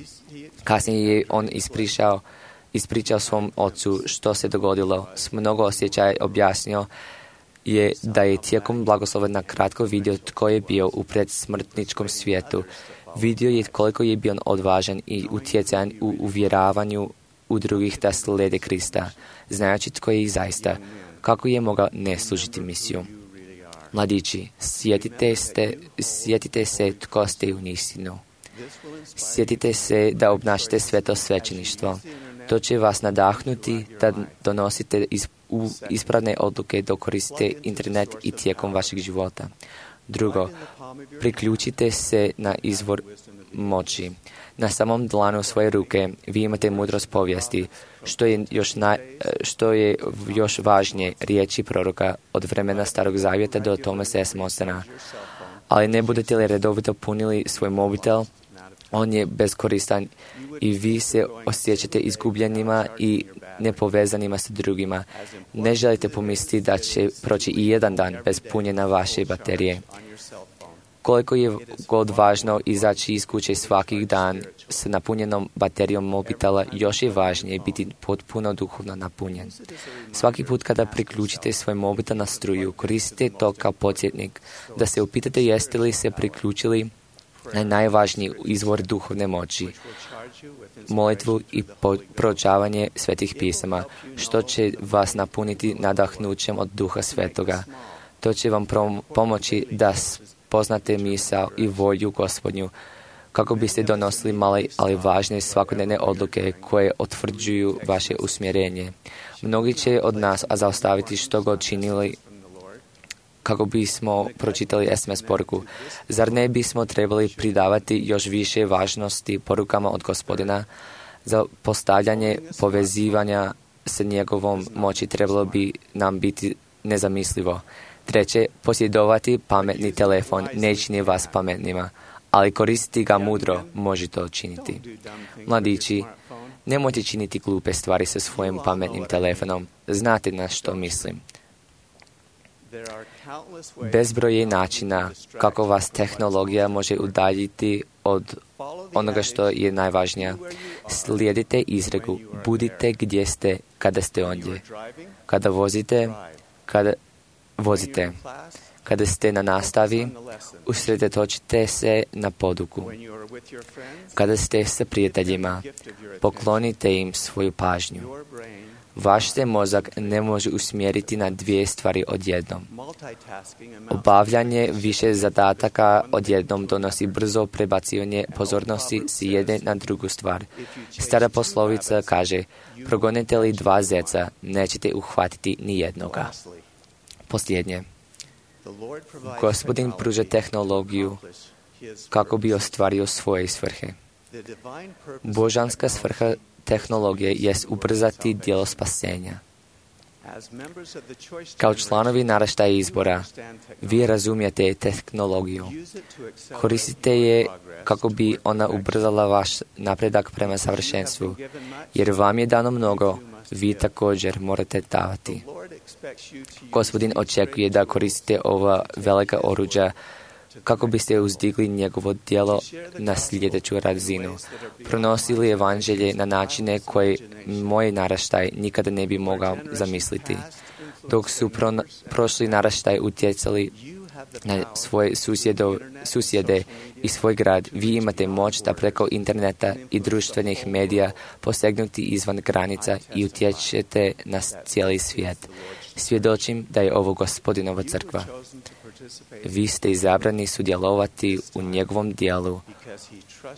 Kasnije je on ispričao, ispričao svom ocu što se dogodilo. S mnogo osjećaja objasnio je da je tijekom blagoslova na kratko vidio tko je bio u predsmrtničkom svijetu. Vidio je koliko je bio odvažan i utjecajan u uvjeravanju u drugih da slijede Krista, znajući tko je i zaista, kako je mogao ne služiti misiju. Mladići, sjetite, ste, sjetite se tko ste u istinu. Sjetite se da obnašate sveto svećeništvo. To će vas nadahnuti da donosite iz, u ispravne odluke dok koristite internet i tijekom vašeg života. Drugo, priključite se na izvor moći. Na samom dlanu svoje ruke vi imate mudrost povijesti, što je još, na, što je još važnije riječi proroka od vremena Starog Zavjeta do Thomasa S. Monsona. Ali ne budete li redovito punili svoj mobitel, on je beskoristan i vi se osjećate izgubljenima i nepovezanima sa drugima. Ne želite pomisliti da će proći i jedan dan bez punjenja vaše baterije. Koliko je god važno izaći iz kuće svaki dan s napunjenom baterijom mobitela, još je važnije biti potpuno duhovno napunjen. Svaki put kada priključite svoj mobitel na struju, koristite to kao podsjetnik da se upitate jeste li se priključili na najvažniji izvor duhovne moći, molitvu i proučavanje svetih pisama, što će vas napuniti nadahnućem od Duha Svetoga. To će vam pomoći da poznate misao i volju Gospodnju, kako biste donosili male, ali važne svakodnevne odluke koje otvrđuju vaše usmjerenje. Mnogi će od nas zaustaviti što god činili kako bismo pročitali es em es poruku. Zar ne bismo trebali pridavati još više važnosti porukama od Gospodina? Za postavljanje povezivanja s njegovom moći trebalo bi nam biti nezamislivo. Treće, posjedovati pametni telefon ne čini vas pametnima, ali koristiti ga mudro može to činiti. Mladići, nemojte činiti glupe stvari sa svojim pametnim telefonom. Znate na što mislim. Bezbroj je načina kako vas tehnologija može udaljiti od onoga što je najvažnije. Slijedite izreku, budite gdje ste kada ste ondje. Kada vozite, kada vozite. Kada ste na nastavi, usredotočite se na poduku. Kada ste sa prijateljima, poklonite im svoju pažnju. Vaš se mozak ne može usmjeriti na dvije stvari odjednom. Obavljanje više zadataka odjednom donosi brzo prebacivanje pozornosti s jedne na drugu stvar. Stara poslovica kaže, progonite li dva zeca, nećete uhvatiti ni jednoga. Posljednje. Gospodin pruža tehnologiju kako bi ostvario svoje svrhe. Božanska svrha tehnologije jest ubrzati djelo spasenja. Kao članovi naraštaja izbora, vi razumijete tehnologiju. Koristite je kako bi ona ubrzala vaš napredak prema savršenstvu, jer vam je dano mnogo, vi također morate davati. Gospodin očekuje da koristite ova velika oruđa kako biste uzdigli njegovo djelo na sljedeću razinu. Pronosili evanđelje na načine koje moj naraštaj nikada ne bi mogao zamisliti. Dok su pro, prošli naraštaj utjecali na svoje susjedo, susjede i svoj grad, vi imate moć da preko interneta i društvenih medija posegnuti izvan granica i utječete na cijeli svijet. Svjedočim da je ovo Gospodinova crkva. Vi ste izabrani sudjelovati u njegovom dijelu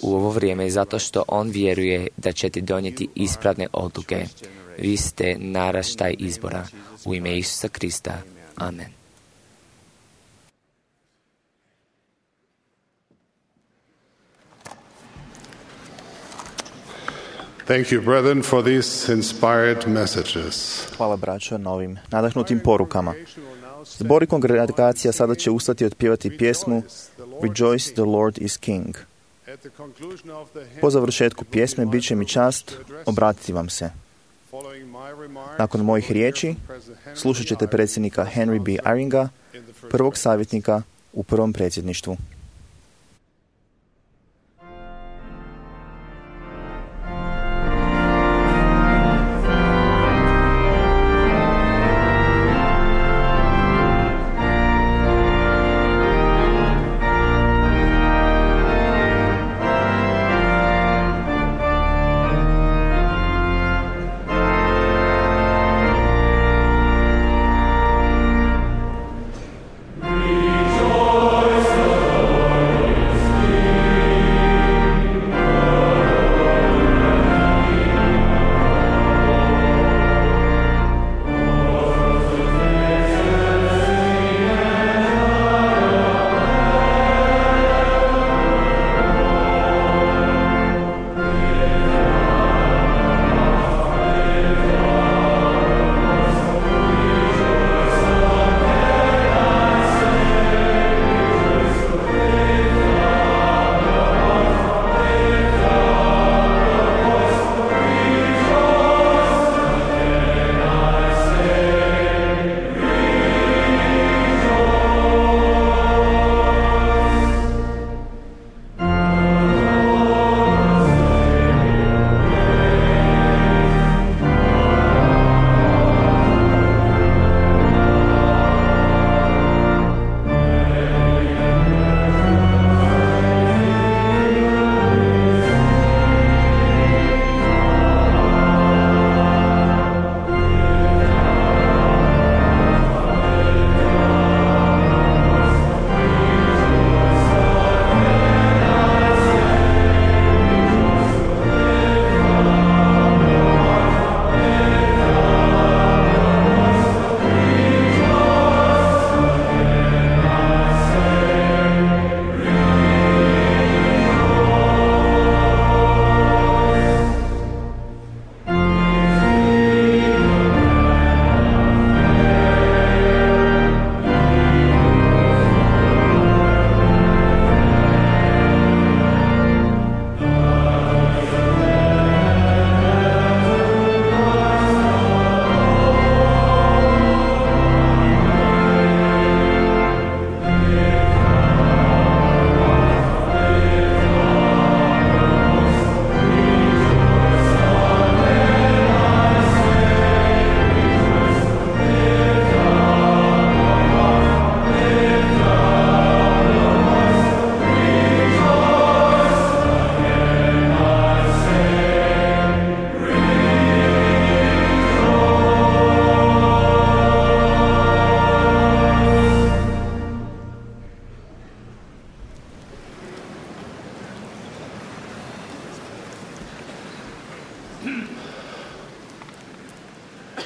u ovo vrijeme zato što on vjeruje da ćete donijeti ispravne odluke. Vi ste naraštaj izbora. U ime Isusa Krista. Amen. Thank you, brethren, for these inspired messages. Hvala, braćo, na ovim nadahnutim porukama. Zbor i kongregacija sada će ustati i otpjevati pjesmu Rejoice, the Lord is King. Po završetku pjesme bit će mi čast obratiti vam se. Nakon mojih riječi slušat ćete predsjednika Henry B. Eyringa, prvog savjetnika u prvom predsjedništvu.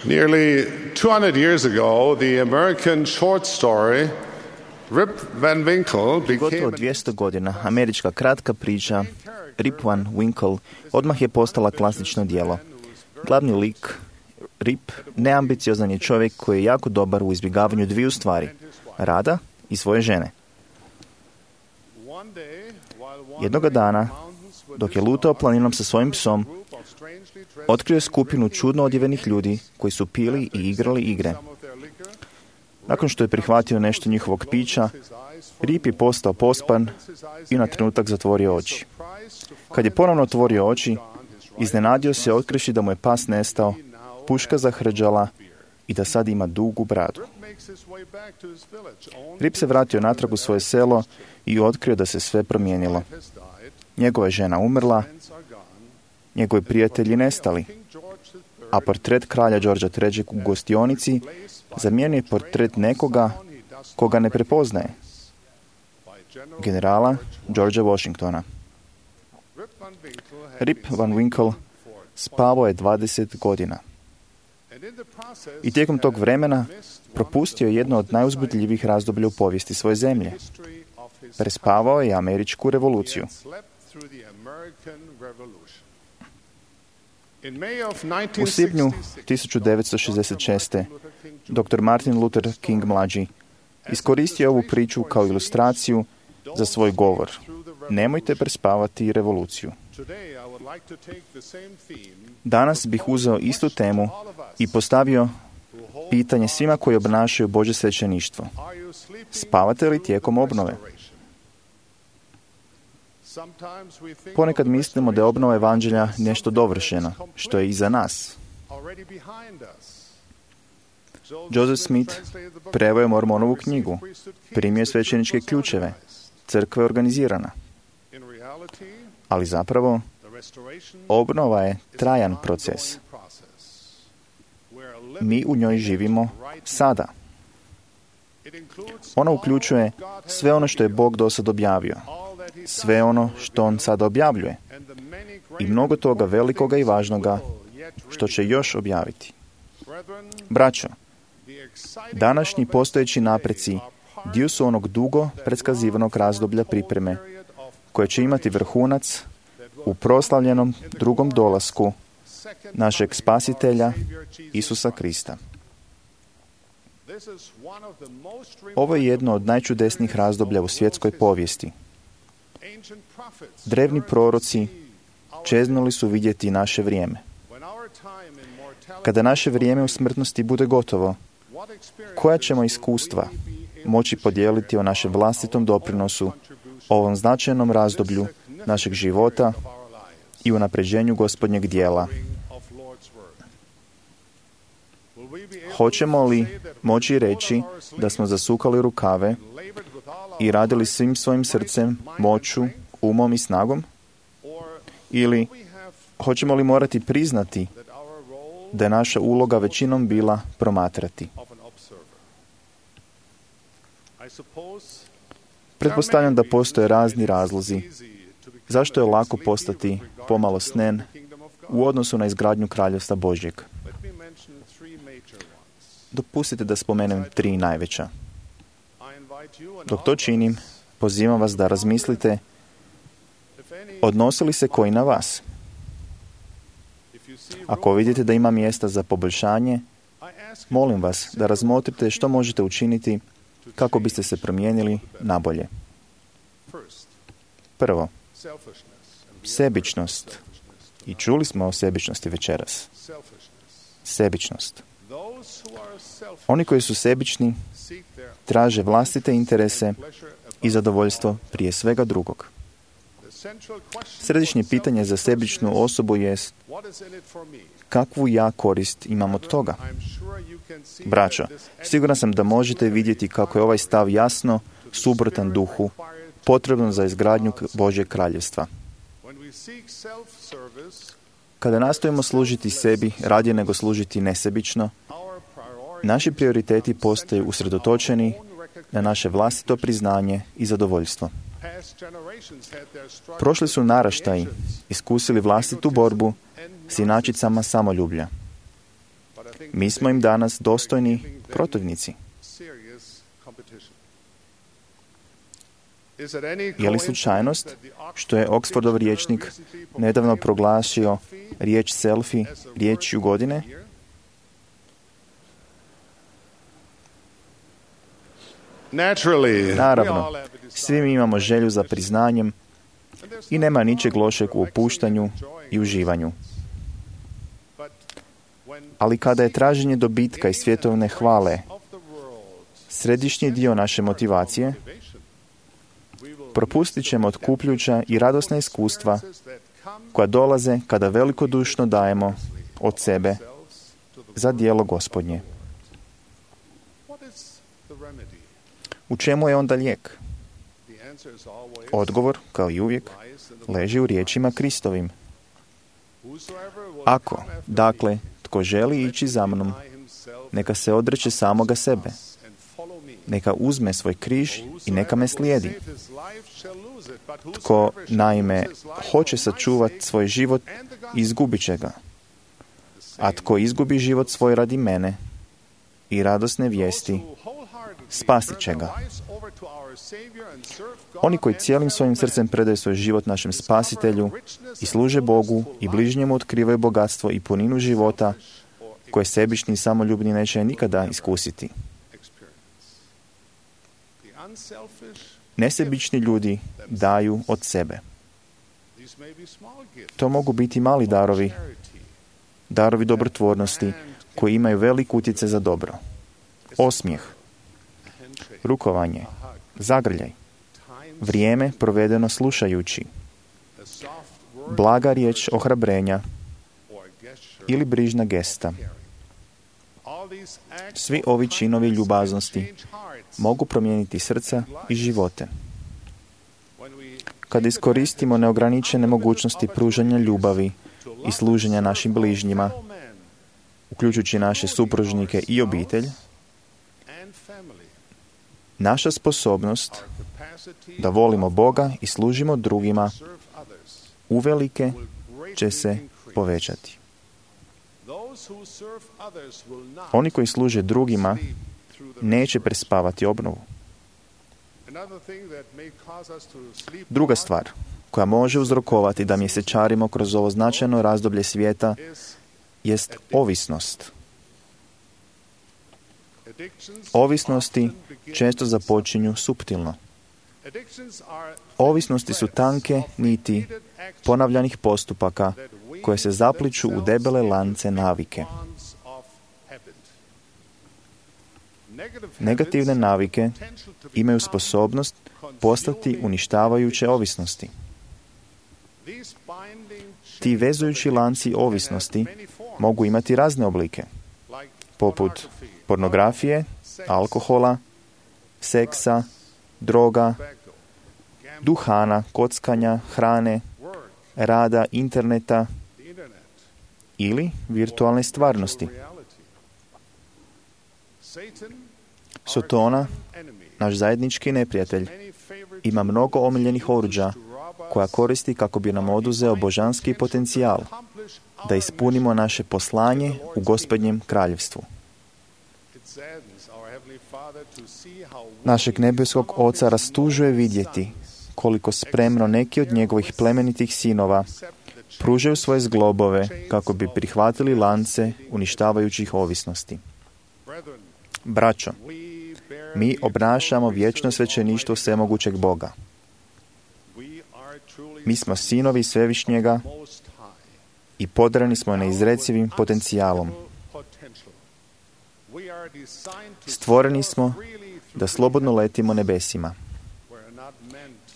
Nearly two hundred years ago, the American short story Rip Van Winkle Gotovo became dvjesto godina američka kratka priča Rip Van Winkle odmah je postala klasično djelo. Glavni lik Rip neambiciozan je čovjek koji je jako dobar u izbjegavanju dviju stvari, rada i svoje žene. Jednoga dana, dok je lutao planinom sa svojim psom, otkrio je skupinu čudno odjevenih ljudi koji su pili i igrali igre. Nakon što je prihvatio nešto njihovog pića, Rip je postao pospan i na trenutak zatvorio oči. Kad je ponovno otvorio oči, iznenadio se otkrivši da mu je pas nestao, puška zahrđala i da sad ima dugu bradu. Rip se vratio natrag u svoje selo i otkrio da se sve promijenilo. Njegova je žena umrla, njegovi prijatelji nestali, a portret kralja Georgea trećeg u gostionici zamijenio je portret nekoga koga ne prepoznaje, generala Georgea Washingtona. Rip Van Winkle spavao je dvadeset godina. I tijekom tog vremena propustio je jedno od najuzbudljivijih razdoblja u povijesti svoje zemlje. Prespavao je američku revoluciju. U svibnju tisuću devetsto šezdeset šeste. doktor Martin Luther King mlađi iskoristio je ovu priču kao ilustraciju za svoj govor. Nemojte prespavati revoluciju. Danas bih uzeo istu temu i postavio pitanje svima koji obnašaju Božje svećeništvo. Spavate li tijekom obnove? Ponekad mislimo da je obnova evanđelja nešto dovršeno, što je iza nas. Joseph Smith preveo je Mormonovu knjigu, primio je svećeničke ključeve, crkva je organizirana. Ali zapravo, obnova je trajan proces. Mi u njoj živimo sada. Ona uključuje sve ono što je Bog do sad objavio, sve ono što On sada objavljuje i mnogo toga velikoga i važnoga što će još objaviti. Braćo, današnji postojeći napreci dio su onog dugo predskazivanog razdoblja pripreme koje će imati vrhunac u proslavljenom drugom dolasku našeg spasitelja Isusa Krista. Ovo je jedno od najčudesnijih razdoblja u svjetskoj povijesti. Drevni proroci čeznuli su vidjeti naše vrijeme. Kada naše vrijeme u smrtnosti bude gotovo, koja ćemo iskustva moći podijeliti o našem vlastitom doprinosu, ovom značajnom razdoblju našeg života i unapređenju Gospodnjeg dijela? Hoćemo li moći reći da smo zasukali rukave i radili svim svojim srcem, moću, umom i snagom? Ili hoćemo li morati priznati da je naša uloga većinom bila promatrati? Pretpostavljam da postoje razni razlozi zašto je lako postati pomalo snen u odnosu na izgradnju Kraljevstva Božjeg. Dopustite da spomenem tri najveća. Dok to činim, pozivam vas da razmislite odnosi li se koji na vas. Ako vidite da ima mjesta za poboljšanje, molim vas da razmotrite što možete učiniti kako biste se promijenili nabolje. Prvo, sebičnost. I čuli smo o sebičnosti večeras. Sebičnost. Oni koji su sebični traže vlastite interese i zadovoljstvo prije svega drugog. Središnje pitanje za sebičnu osobu jest kakvu ja korist imam od toga. Braćo, siguran sam da možete vidjeti kako je ovaj stav jasno suprotan duhu potrebno za izgradnju Božjeg kraljevstva. Kada nastojimo služiti sebi radije nego služiti nesebično, naši prioriteti postaju usredotočeni na naše vlastito priznanje i zadovoljstvo. Prošli su naraštaji iskusili vlastitu borbu s inačicama samoljublja. Mi smo im danas dostojni protivnici. Je li slučajnost što je Oxfordov rječnik nedavno proglasio riječ selfie riječju godine? Naravno, svi mi imamo želju za priznanjem i nema ničeg lošeg u opuštanju i uživanju. Ali kada je traženje dobitka i svjetovne hvale središnji dio naše motivacije, propustit ćemo otkupljuća i radosna iskustva koja dolaze kada velikodušno dajemo od sebe za djelo Gospodnje. U čemu je onda lijek? Odgovor, kao i uvijek, leži u riječima Kristovim. Ako, dakle, tko želi ići za mnom, neka se odreče samoga sebe. Neka uzme svoj križ i neka me slijedi. Tko, naime, hoće sačuvati svoj život, izgubit će ga. A tko izgubi život svoj radi mene i radosne vijesti, spasit će ga. Oni koji cijelim svojim srcem predaju svoj život našem spasitelju i služe Bogu i bližnjemu otkrivaju bogatstvo i puninu života koje sebični i samoljubni neće nikada iskusiti. Nesebični ljudi daju od sebe. To mogu biti mali darovi, darovi dobrotvornosti koji imaju velik utjecaj za dobro. Osmijeh, rukovanje, zagrljaj, vrijeme provedeno slušajući, blaga riječ ohrabrenja ili brižna gesta. Svi ovi činovi ljubaznosti mogu promijeniti srca i živote. Kada iskoristimo neograničene mogućnosti pružanja ljubavi i služenja našim bližnjima, uključujući naše supružnike i obitelj, naša sposobnost da volimo Boga i služimo drugima uvelike će se povećati. Oni koji služe drugima neće prespavati obnovu. Druga stvar koja može uzrokovati da mjesečarimo kroz ovo značajno razdoblje svijeta jest ovisnost. Ovisnosti često započinju suptilno. Ovisnosti su tanke niti ponavljanih postupaka koje se zapliču u debele lance navike. Negativne navike imaju sposobnost postati uništavajuće ovisnosti. Ti vezujući lanci ovisnosti mogu imati razne oblike, poput pornografije, alkohola, seksa, droga, duhana, kockanja, hrane, rada, interneta ili virtualne stvarnosti. Sotona, naš zajednički neprijatelj, ima mnogo omiljenih oruđa koja koristi kako bi nam oduzeo božanski potencijal da ispunimo naše poslanje u Gospodnjem kraljevstvu. Našeg nebeskog Oca rastužuje vidjeti koliko spremno neki od njegovih plemenitih sinova pružaju svoje zglobove kako bi prihvatili lance uništavajućih ovisnosti. Braćo, mi obnašamo vječno svećeništvo svemogućeg Boga. Mi smo sinovi Svevišnjega i podareni smo neizrecivim potencijalom. Stvoreni smo da slobodno letimo nebesima.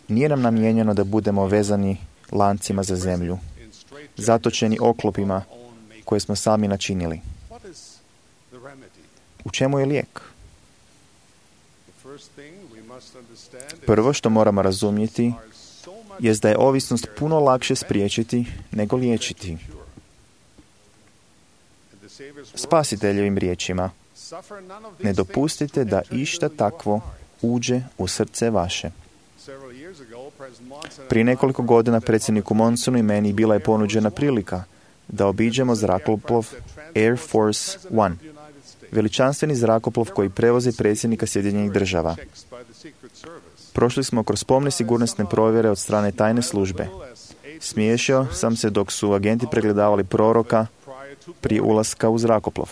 Nije nam namijenjeno da budemo vezani lancima za zemlju, zatočeni oklopima koje smo sami načinili. U čemu je lijek? Prvo što moramo razumjeti jest da je ovisnost puno lakše spriječiti nego liječiti. Spasiteljevim riječima: ne dopustite da išta takvo uđe u srce vaše. Prije nekoliko godina predsjedniku Monsonu i meni bila je ponuđena prilika da obiđemo zrakoplov Air Force One, veličanstveni zrakoplov koji prevozi predsjednika Sjedinjenih država. Prošli smo kroz pomne sigurnosne provjere od strane tajne službe. Smiješio sam se dok su agenti pregledavali proroka prije ulaska u zrakoplov.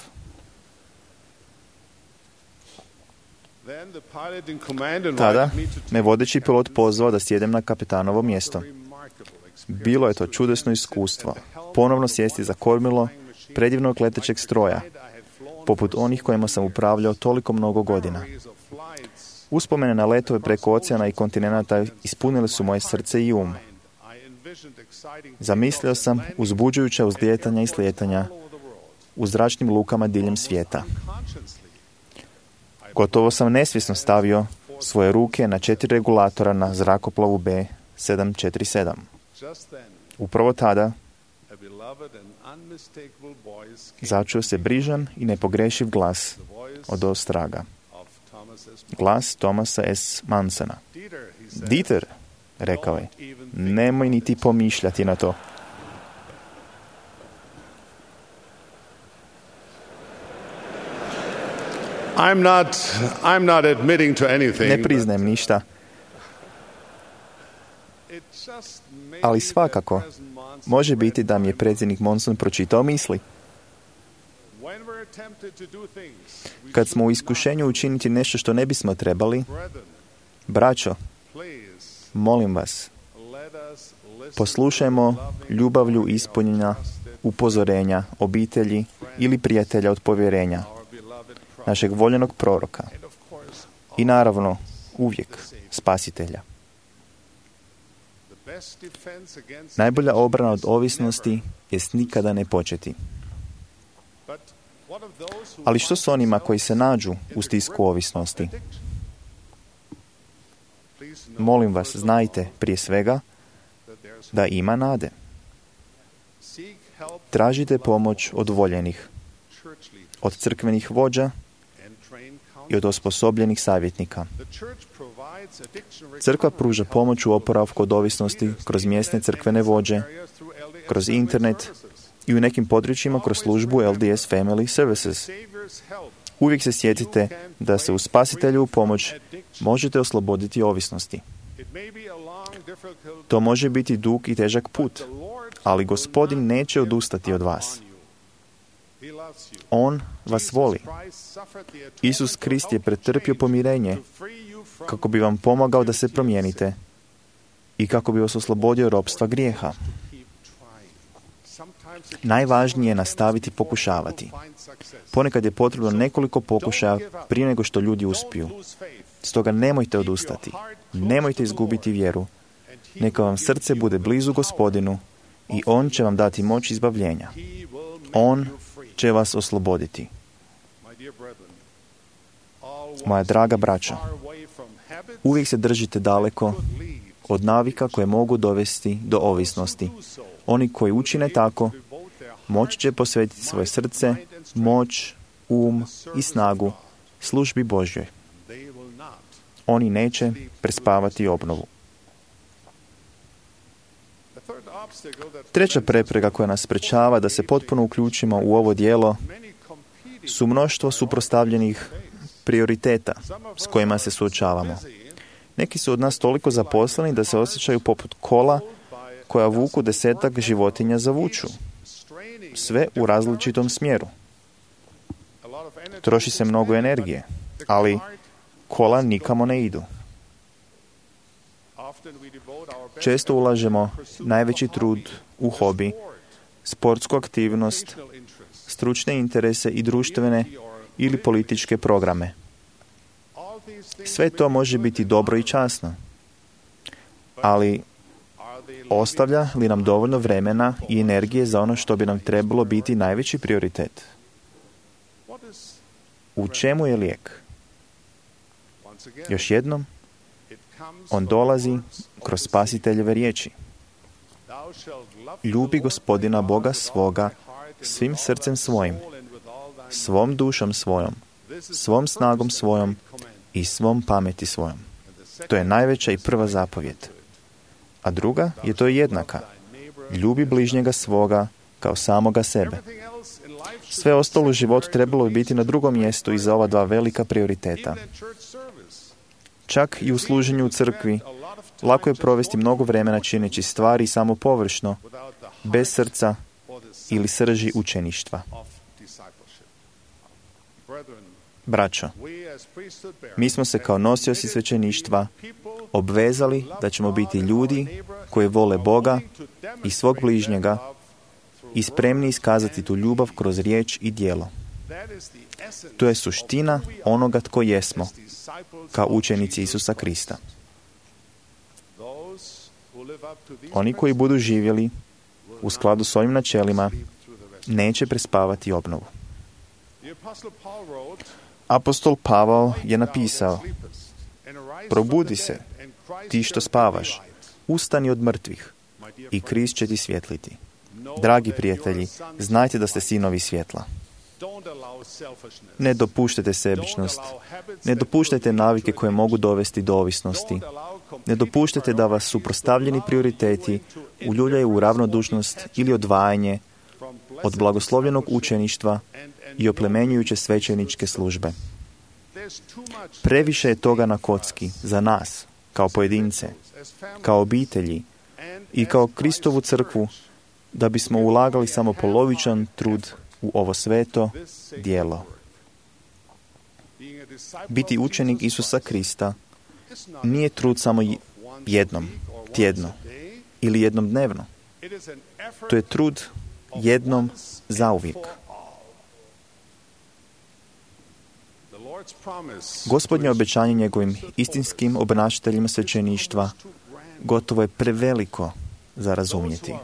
Tada me vodeći pilot pozvao da sjedem na kapetanovo mjesto. Bilo je to čudesno iskustvo. Ponovno sjesti za kormilo predivnog letećeg stroja, poput onih kojima sam upravljao toliko mnogo godina. Uspomene na letove preko oceana i kontinenata ispunile su moje srce i um. Zamislio sam uzbuđujuća uzlijetanja i slijetanja u zračnim lukama diljem svijeta. Gotovo sam nesvjesno stavio svoje ruke na četiri regulatora na zrakoplovu B sedam četiri sedam. Upravo tada začuo se brižan i nepogrešiv glas od ostraga. Glas Thomasa S. Mansona. Dieter, rekao je, nemoj niti pomišljati na to. I'm not, I'm not admitting to anything. Ne priznajem ništa, ali svakako može biti da mi je predsjednik Monson pročitao misli. Kad smo u iskušenju učiniti nešto što ne bismo trebali, braćo, molim vas, poslušajmo ljubavlju ispunjenja upozorenja obitelji ili prijatelja od povjerenja, našeg voljenog proroka i naravno uvijek spasitelja. Najbolja obrana od ovisnosti jest nikada ne početi. Ali što s onima koji se nađu u stisku ovisnosti? Molim vas, znajte prije svega da ima nade. Tražite pomoć od voljenih, od crkvenih vođa i od osposobljenih savjetnika. Crkva pruža pomoć u oporavku od ovisnosti kroz mjesne crkvene vođe, kroz internet i u nekim područjima kroz službu L D S Family Services. Uvijek se sjetite da se u spasitelju pomoć možete osloboditi ovisnosti. To može biti dug i težak put, ali Gospodin neće odustati od vas. On vas voli. Isus Krist je pretrpio pomirenje kako bi vam pomogao da se promijenite i kako bi vas oslobodio ropstva grijeha. Najvažnije je nastaviti pokušavati. Ponekad je potrebno nekoliko pokušaja prije nego što ljudi uspiju. Stoga nemojte odustati. Nemojte izgubiti vjeru. Neka vam srce bude blizu Gospodinu i On će vam dati moć izbavljenja. On će vas osloboditi. Moja draga braćo, uvijek se držite daleko od navika koje mogu dovesti do ovisnosti. Oni koji učine tako, moći će posvetiti svoje srce, moć, um i snagu službi Božjoj. Oni neće prespavati obnovu. Treća prepreka koja nas sprečava da se potpuno uključimo u ovo djelo su mnoštvo suprotstavljenih prioriteta s kojima se suočavamo. Neki su od nas toliko zaposleni da se osjećaju poput kola koja vuku desetak životinja za vuču. Sve u različitom smjeru. Troši se mnogo energije, ali kola nikamo ne idu. Često ulažemo najveći trud u hobi, sportsku aktivnost, stručne interese i društvene ili političke programe. Sve to može biti dobro i časno, ali ostavlja li nam dovoljno vremena i energije za ono što bi nam trebalo biti najveći prioritet? U čemu je lijek? Još jednom, on dolazi kroz spasiteljeve riječi. Ljubi Gospodina Boga svoga svim srcem svojim, svom dušom svojom, svom snagom svojom i svom pameti svojom. To je najveća i prva zapovjed. A druga je to jednaka. Ljubi bližnjega svoga kao samoga sebe. Sve ostalo u životu trebalo bi biti na drugom mjestu iza ova dva velika prioriteta. Čak i u služenju u crkvi lako je provesti mnogo vremena čineći stvari samo površno, bez srca ili srži učeništva. Braćo, mi smo se kao nosioci svećeništva obvezali da ćemo biti ljudi koji vole Boga i svog bližnjega i spremni iskazati tu ljubav kroz riječ i djelo. To je suština onoga tko jesmo, kao učenici Isusa Krista. Oni koji budu živjeli u skladu s ovim načelima neće prespavati obnovu. Apostol Pavao je napisao: probudi se, ti što spavaš, ustani od mrtvih i Krist će ti svjetliti. Dragi prijatelji, znajte da ste sinovi svjetla. Ne dopuštajte sebičnost. Ne dopuštajte navike koje mogu dovesti do ovisnosti. Ne dopuštajte da vas suprotstavljeni prioriteti uljuljaju u ravnodušnost ili odvajanje od blagoslovljenog učeništva i oplemenjujuće svećeničke službe. Previše je toga na kocki za nas, kao pojedince, kao obitelji i kao Kristovu crkvu, da bismo ulagali samo polovičan trud u ovo sveto djelo. Biti učenik Isusa Krista nije trud samo jednom, tjedno ili jednom dnevno. To je trud jednom zauvijek. Gospodnje obećanje njegovim istinskim obnašateljima svećeništva gotovo je preveliko za razumjeti.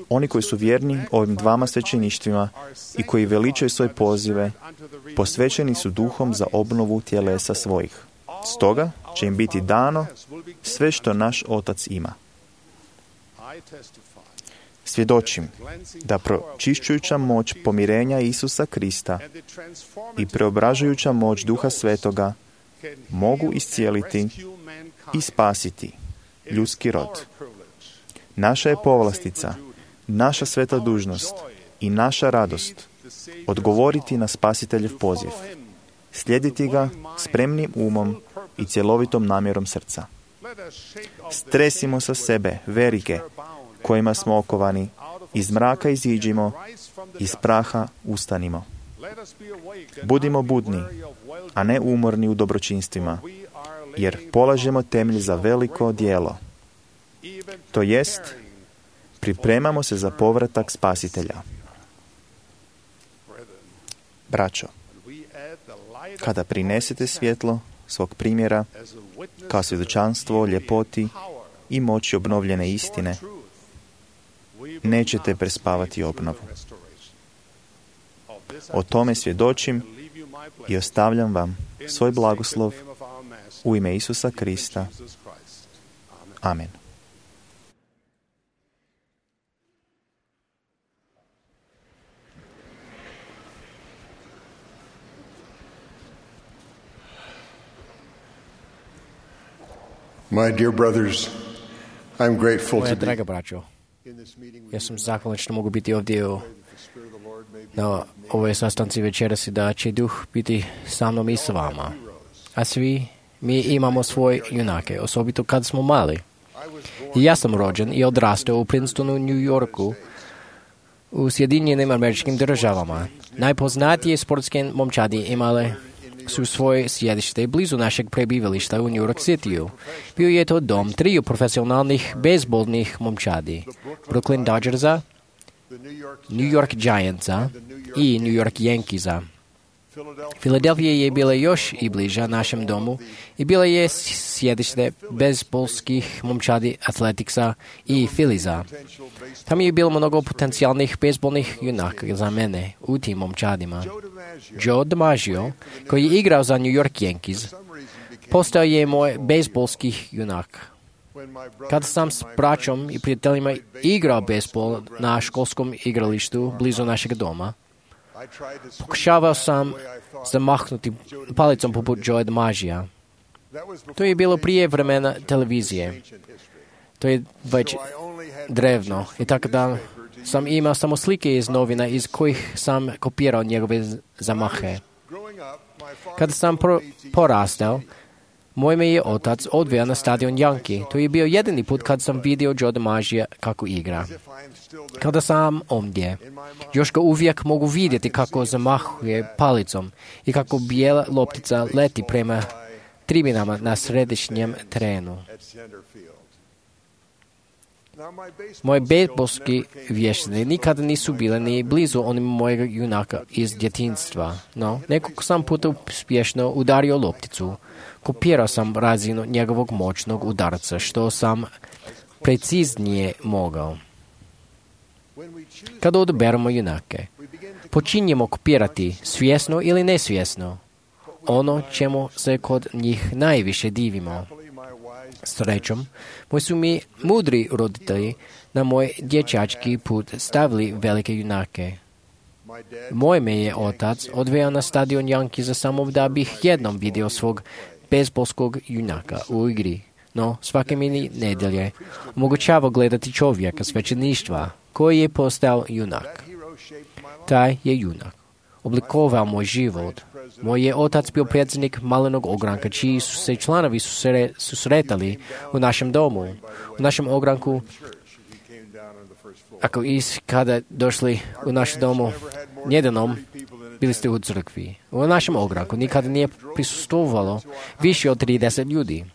Oni koji su vjerni ovim dvama svećeništvima i koji veličaju svoje pozive, posvećeni su duhom za obnovu tjelesa svojih. Stoga će im biti dano sve što naš Otac ima. Svjedočim da pročišćujuća moć pomirenja Isusa Krista i preobražujuća moć Duha Svetoga mogu iscijeliti i spasiti ljudski rod. Naša je povlastica, naša sveta dužnost i naša radost odgovoriti na Spasiteljev poziv, slijediti ga spremnim umom i cjelovitom namjerom srca. Stresimo sa sebe verige kojima smo okovani, iz mraka iziđimo, iz praha ustanimo. Budimo budni, a ne umorni u dobročinstvima, jer polažemo temelj za veliko djelo. To jest, pripremamo se za povratak Spasitelja. Braćo, kada prinesete svjetlo svog primjera kao svjedočanstvo ljepoti i moći obnovljene istine, nećete prespavati obnovu. O tome svjedočim i ostavljam vam svoj blagoslov u ime Isusa Krista. Amen. My dear brothers, I'm grateful Moja to be draga braćo, ja sam zahvalan što mogu biti ovdje u, na ovoj sastanci večeras i da će duh biti sa mnom i s vama. A svi mi imamo svoje junake, osobito kad smo mali. I ja sam rođen i odrastao u Princetonu, New Yorku, u Sjedinjenim Američkim Državama. Najpoznatije sportske momčadi imale su svoje sjedište blizu našeg prebivališta u New York Cityu. Bio je to dom triju profesionalnih bejzbolnih momčadi, Brooklyn Dodgersa, New York Giantsa i New York Yankeesa. Filadelfija je bila još i bliža našem domu i bila je sjedište bejzbolskih momčadi Athleticsa i Philliesa. Tam je bilo mnogo potencijalnih bejzbolnih junaka za mene u tim momčadima. Joe DiMaggio, koji je igrao za New York Yankees, postao je moj bejzbolski junak. Kad sam s braćom i prijateljima igrao bejzbol na školskom igralištu blizu našeg doma, pokušavao sam zamahnuti palicom poput Joe DiMaggija. To je bilo prije vremena televizije. To je već drevno i tako da sam imao samo slike iz novina iz kojih sam kopirao njegove zamahe. Kada sam pro- porastao, moj me je otac odveo na stadion Yankee. To je bio jedini put kad sam vidio Joe DiMaggija kako igra. Kada sam ovdje, još ga uvijek mogu vidjeti kako zamahuje palicom i kako bijela loptica leti prema tribinama na središnjem terenu. Moje bejzbolski vještine nikada nisu bile ni blizu onim mojega junaka iz djetinjstva, no nekoliko sam puta uspješno udario lopticu. Kopirao sam razinu njegovog moćnog udarca, što sam preciznije mogao. Kada odaberemo junake, počinjemo kopirati svjesno ili nesvjesno ono čemu se kod njih najviše divimo. Srećom, moji su mi mudri roditelji na moj dječački put stavili velike junake. Moj me je otac odveo na stadion Yankeesa samo da bih jednom vidio svog bejzbolskog junaka u igri, no svake mi nedjelje omogućava gledati čovjeka svećeništva koji je postao junak. Taj je junak oblikovao moj život. Moj je otac bio predsjednik malenog ogranka, čiji su se članovi susre, susretali u našem domu. U našem ogranku, ako is kada došli u naš domu njedenom, bili ste u crkvi. U našem ogranku nikada nije prisustvovalo više od trideset ljudi.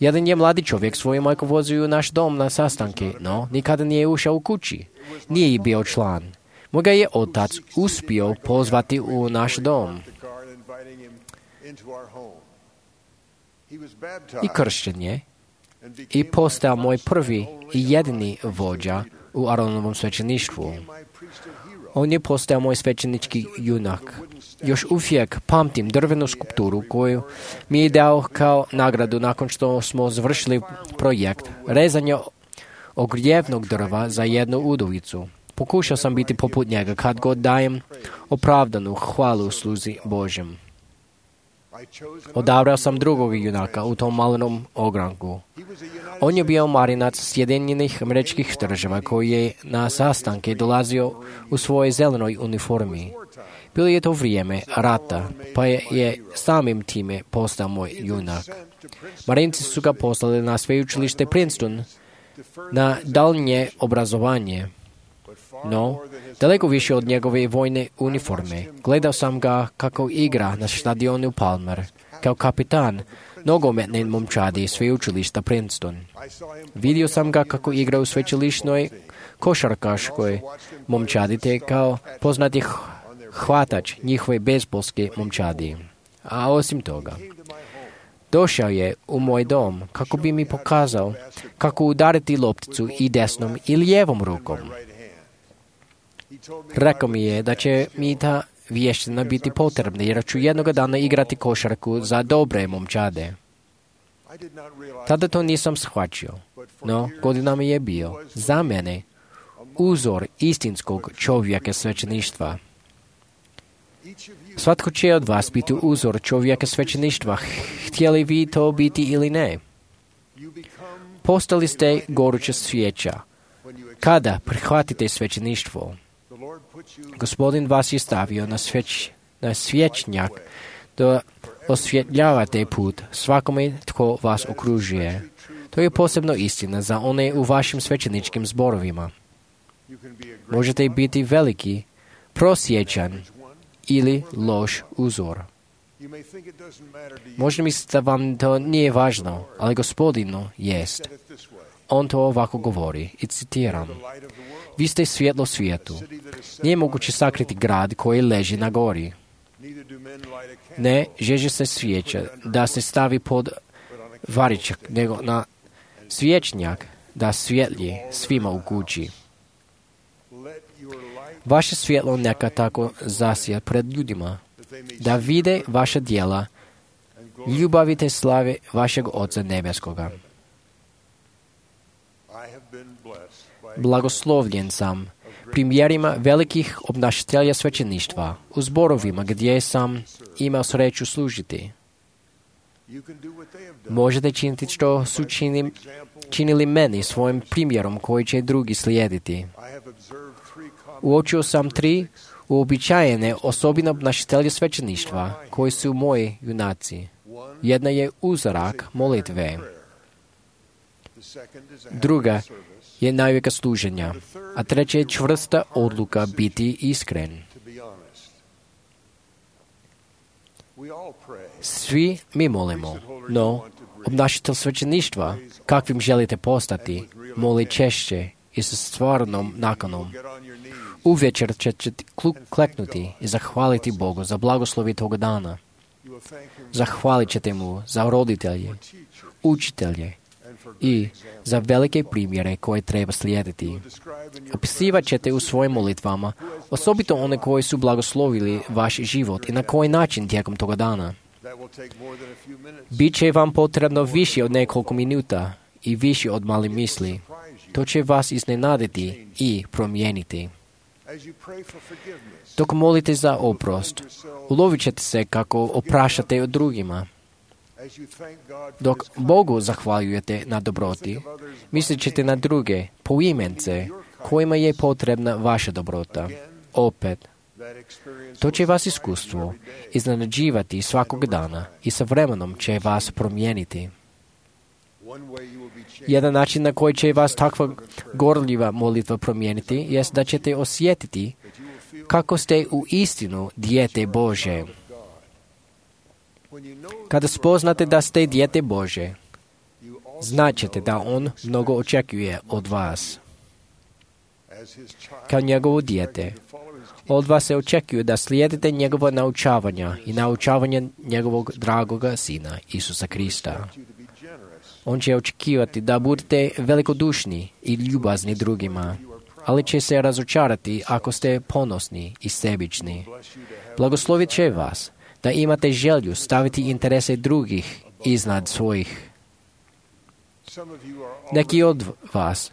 Jedan je mladi čovjek svoju majku vozio u naš dom na sastanke, no nikada nije ušao u kući. Nije i bio član. Moga je otac uspio pozvati u naš dom. I kršćen je i postao moj prvi i jedini vođa u Aronovom svećeništvu. On je postao moj svećenički junak. Još uvijek pamtim drvenu skulpturu koju mi je dao kao nagradu nakon što smo završili projekt rezanja ogrijevnog drva za jednu udovicu. Pokušao sam biti poput njega kad god dajem opravdanu hvalu sluzi Božjem. Odabrao sam drugog junaka u tom malenom ogranku. On je bio marinac Sjedinjenih Američkih Država koji je na sastanke dolazio u svojoj zelenoj uniformi. Bilo je to vrijeme rata, pa je, je samim time postao moj junak. Marinci su ga poslali na sveučilište Princeton na daljnje obrazovanje. No, daleko više od njegove vojne uniforme. Gledao sam ga kako igra na stadionu Palmer, kao kapitan nogometne momčadi sveučilišta Princeton. Vidio sam ga kako igra u sveučilišnoj košarkaškoj momčadi te kao poznati hvatač njihove bejzbolske momčadi. A osim toga, došao je u moj dom kako bi mi pokazao kako udariti lopticu i desnom i lijevom rukom. Rekao mi je da će mi ta vještina biti potrebna jer ću jednoga dana igrati košarku za dobre momčade. Tada to nisam shvaćao, no godinama je bio za mene uzor istinskog čovjeka svećeništva. Svatko će od vas biti uzor čovjeka svećeništva, htjeli vi to biti ili ne. Postali ste goruća svijeća kada prihvatite svećeništvo. Gospodin vas je stavio na, sveć, na svječnjak da osvjetljavate put svakome tko vas okružuje. To je posebno istina za one u vašim svećeničkim zborovima. Možete biti veliki, prosječan ili loš uzor. Možda mislite da vam to nije važno, ali Gospodinu jest. On to ovako govori i citiram. Vi ste svjetlo svijetu. Nije moguće sakriti grad koji leži na gori. Ne žeže se svijeća da se stavi pod varičak, nego na svječnjak da svjetlji svima u kući. Vaše svjetlo neka tako zasija pred ljudima, da vide vaša djela, ljubavite slave vašeg Oca nebeskoga. Blagoslovljen sam primjerima velikih obnašatelja svećeništva u zborovima gdje sam imao sreću služiti. Možete činiti što su činim, činili meni svojim primjerom koji će drugi slijediti. Uočio sam tri uobičajene osobine obnašatelja svećeništva koji su moji junaci. Jedna je uzorak molitve. Druga je najvijeka služenja, a treća je čvrsta odluka biti iskren. Svi mi molimo, no obnašatelj svećeništva, kakvim želite postati, moli češće i sa stvarnom nakanom. Uvečer ćete kleknuti i zahvaliti Bogu za blagoslovi toga dana. Zahvalit ćete mu za roditelje, učitelje i za velike primjere koje treba slijediti. Opisivat ćete u svojim molitvama, osobito one koji su blagoslovili vaš život i na koji način tijekom toga dana. Biće vam potrebno više od nekoliko minuta i više od mali misli. To će vas iznenaditi i promijeniti. Dok molite za oprost, ulovit ćete se kako oprašate od drugima. Dok Bogu zahvaljujete na dobroti, mislit ćete na druge poimence kojima je potrebna vaša dobrota. Opet, To će vas iskustvo iznenađivati svakog dana i sa vremenom će vas promijeniti. Jedan način na koji će vas takva gorljiva molitva promijeniti jest da ćete osjetiti kako ste u istinu dijete Bože. Kada spoznate da ste dijete Bože, znaćete da On mnogo očekuje od vas. Kao njegovo dijete, od vas se očekuje da slijedite njegova naučavanja i naučavanja njegovog dragoga Sina, Isusa Krista. On će očekivati da budete velikodušni i ljubazni drugima, ali će se razočarati ako ste ponosni i sebični. Blagoslovit će vas da imate želju staviti interese drugih iznad svojih. Neki od vas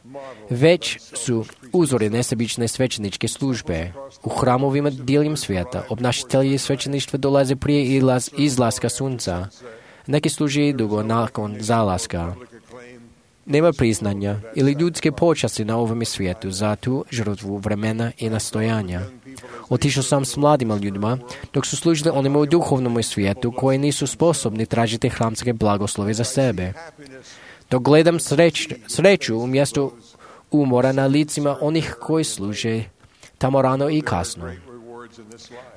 već su uzori nesebične svećeničke službe. U hramovima diljem svijeta obnašatelji svećeništva dolaze prije izlaz, izlaska sunca. Neki služi dugo nakon zalaska. Nema priznanja ili ljudske počasti na ovome svijetu za tu žrtvu vremena i nastojanja. Otišao sam s mladima ljudima dok su služili onima u duhovnom svijetu koji nisu sposobni tražiti hramske blagoslove za sebe. Dok gledam sreć, sreću umjesto umora na licima onih koji služe tamo rano i kasno.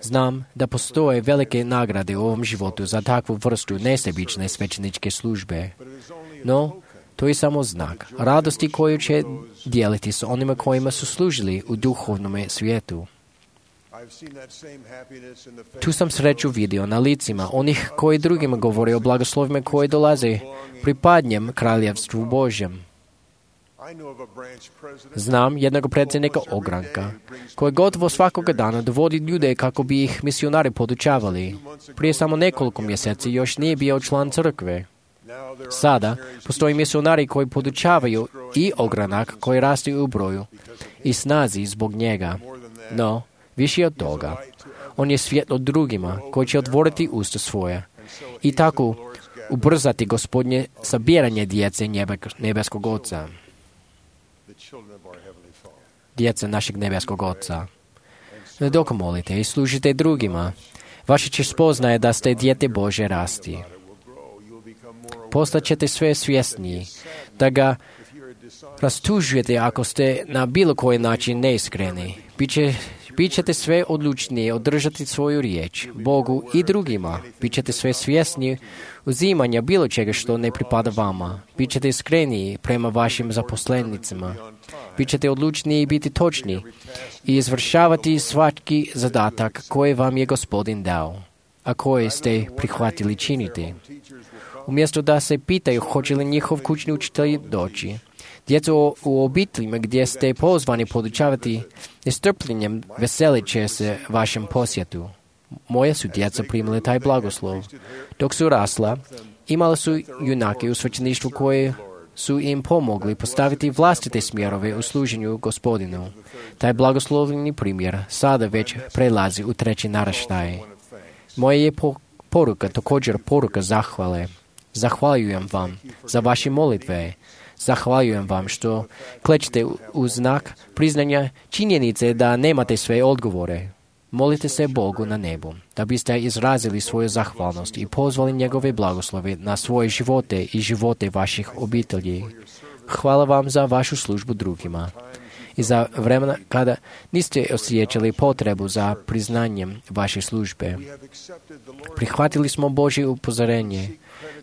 Znam da postoje velike nagrade u ovom životu za takvu vrstu nesebične svećeničke službe. No, to je samo znak radosti koju će dijeliti s onima kojima su služili u duhovnom svijetu. Tu sam sreću vidio na licima onih koji drugima govore o blagoslovima koji dolaze pripadnjem kraljevstvu Božjem. Znam jednog predsjednika ogranka koji gotovo svakoga dana dovodi ljude kako bi ih misionari podučavali. Prije samo nekoliko mjeseci još nije bio član crkve. Sada postoji misionari koji podučavaju i ogranak koji raste u broju i snazi zbog njega. No, više od toga, on je svjetlo drugima koji će otvoriti usta svoje i tako ubrzati Gospodnje sabiranje djece nebeskog Oca. Djece našeg nebeskog Oca. Dok molite i služite drugima, vaše će spoznaje da ste dijete Bože rasti. Postaćete sve svjesniji da ga rastužujete ako ste na bilo koji način neiskreni. Biće Bićete sve odlučnije održati svoju riječ Bogu i drugima. Bićete sve svjesniji uzimanja bilo čega što ne pripada vama. Bićete iskreniji prema vašim zaposlenicima. Bićete odlučniji biti točni i izvršavati svaki zadatak koji vam je Gospodin dao, a koji ste prihvatili činiti. Umjesto da se pitaju hoće li njihov kućni učitelj doći, djeco u obiteljima gdje ste pozvani podučavati nestrpljenjem veselit će se vašem posjetu. Moja su djeca primili taj blagoslov. Dok su rasla, imali su junake u svećeništvu koje su im pomogli postaviti vlastite smjerove u služenju Gospodinu. Taj blagoslovljeni primjer sada već prelazi u treći naraštaj. Moja je po- poruka također poruka zahvale. Zahvaljujem vam za vaše molitve. Zahvaljujem vam što klećete u znak priznanja činjenice da nemate sve odgovore. Molite se Bogu na nebu, da biste izrazili svoju zahvalnost i pozvali njegove blagoslove na svoje živote i živote vaših obitelji. Hvala vam za vašu službu drugima i za vremena kada niste osjećali potrebu za priznanjem vaše službe. Prihvatili smo Božje upozorenje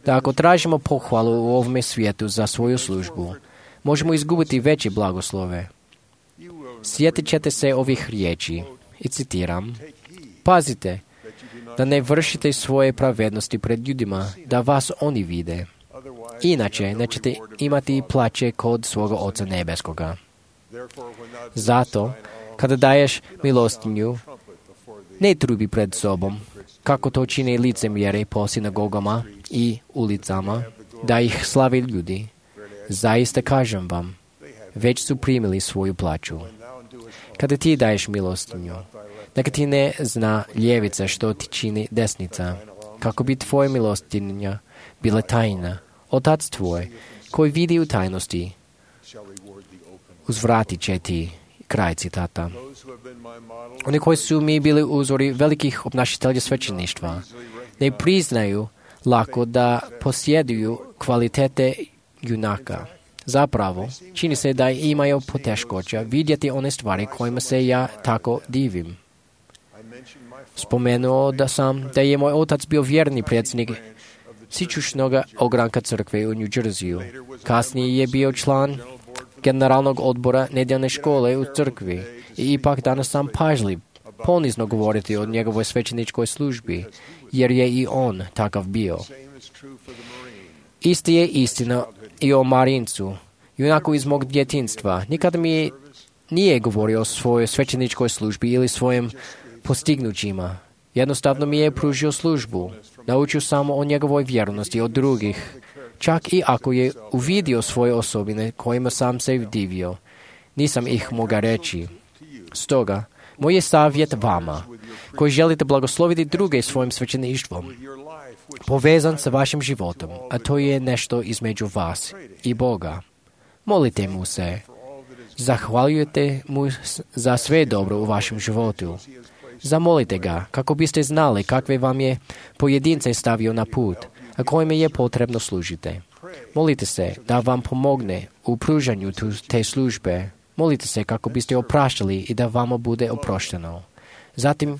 da ako tražimo pohvalu u ovome svijetu za svoju službu, možemo izgubiti veće blagoslove. Sjetit ćete se ovih riječi i citiram: pazite da ne vršite svoje pravednosti pred ljudima, da vas oni vide. Inače nećete imati plaće kod svoga Oca nebeskoga. Zato, kada daješ milostinju, ne trubi pred sobom, kako to čine licemjeri po sinagogama i ulicama, da ih slave ljudi. Zaista kažem vam, već su primili svoju plaću. Kada ti daješ milostinju, neka ti ne zna ljevica što ti čini desnica, kako bi tvoja milostinja bila tajna. Otac tvoj, koji vidi u tajnosti, uzvratit će ti. Kraj citata. Oni koji su mi bili uzori velikih obnašitelja svećeništva ne priznaju lako da posjeduju kvalitete junaka. Zapravo, čini se da imaju poteškoća vidjeti one stvari kojima se ja tako divim. Spomenuo da sam da je moj otac bio vjerni predsjednik sičušnog ogranka crkve u New Jerseyu. Kasnije je bio član generalnog odbora nedjeljne škole u crkvi i ipak danas sam pažljiv ponizno govoriti o njegovoj svećeničkoj službi, jer je i on takav bio. Isti je istina i o Marincu, junaku iz mog djetinjstva. Nikada mi nije govorio o svojoj svećeničkoj službi ili svojim postignućima. Jednostavno mi je pružio službu. Naučio sam o njegovoj vjernosti od drugih. Čak i ako je uvidio svoje osobine kojima sam se divio, nisam ih mogao reći. Stoga, moj je savjet vama, koji želite blagosloviti druge svojim svećeništvom, povezan sa vašim životom, a to je nešto između vas i Boga. Molite mu se. Zahvaljujete mu za sve dobro u vašem životu. Zamolite ga kako biste znali kakve vam je pojedince stavio na put, a kojima je potrebno služite. Molite se da vam pomogne u pružanju te službe. Molite se kako biste opraštali i da vama bude oprošteno. Zatim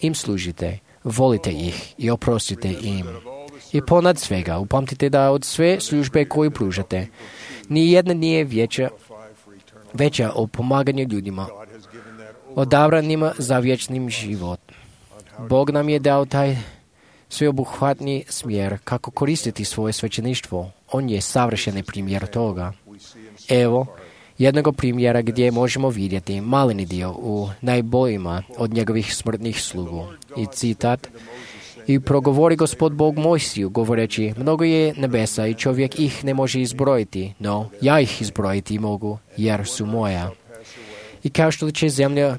im služite, volite ih i oprostite im. I ponad svega upamtite da od sve službe koju pružate, ni jedna nije veća, veća o pomaganju ljudima, odabranima za vječnim život. Bog nam je dao taj sveobuhvatni smjer kako koristiti svoje svećeništvo. On je savršeni primjer toga. Evo jednog primjera gdje možemo vidjeti maleni dio u najboljima od njegovih smrtnih slugu. I citat: "I progovori Gospod Bog Mojsiju, govoreći, mnogo je nebesa i čovjek ih ne može izbrojiti, no ja ih izbrojiti mogu, jer su moja. I kao što će zemlja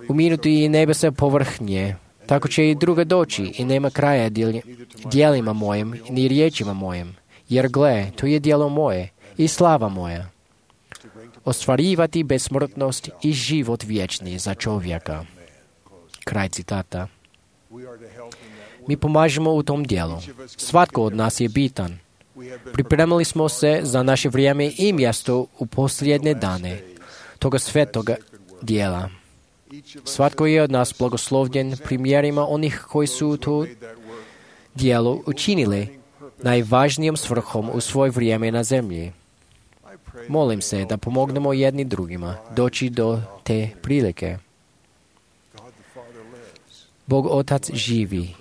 uminuti i nebesa povrh nje, tako će i druga doći i nema kraja djelima mojim ni riječima mojim, jer gle, to je djelo moje i slava moja. Ostvarivati besmrtnost i život vječni za čovjeka." Kraj citata. Mi pomažemo u tom dijelu. Svatko od nas je bitan. Pripremili smo se za naše vrijeme i mjesto u posljednje dane toga svetoga dijela. Svatko je od nas blagoslovljen primjerima onih koji su to dijelo učinili najvažnijom svrhom u svoje vrijeme na zemlji. Molim se da pomognemo jedni drugima doći do te prilike. Bog Otac živi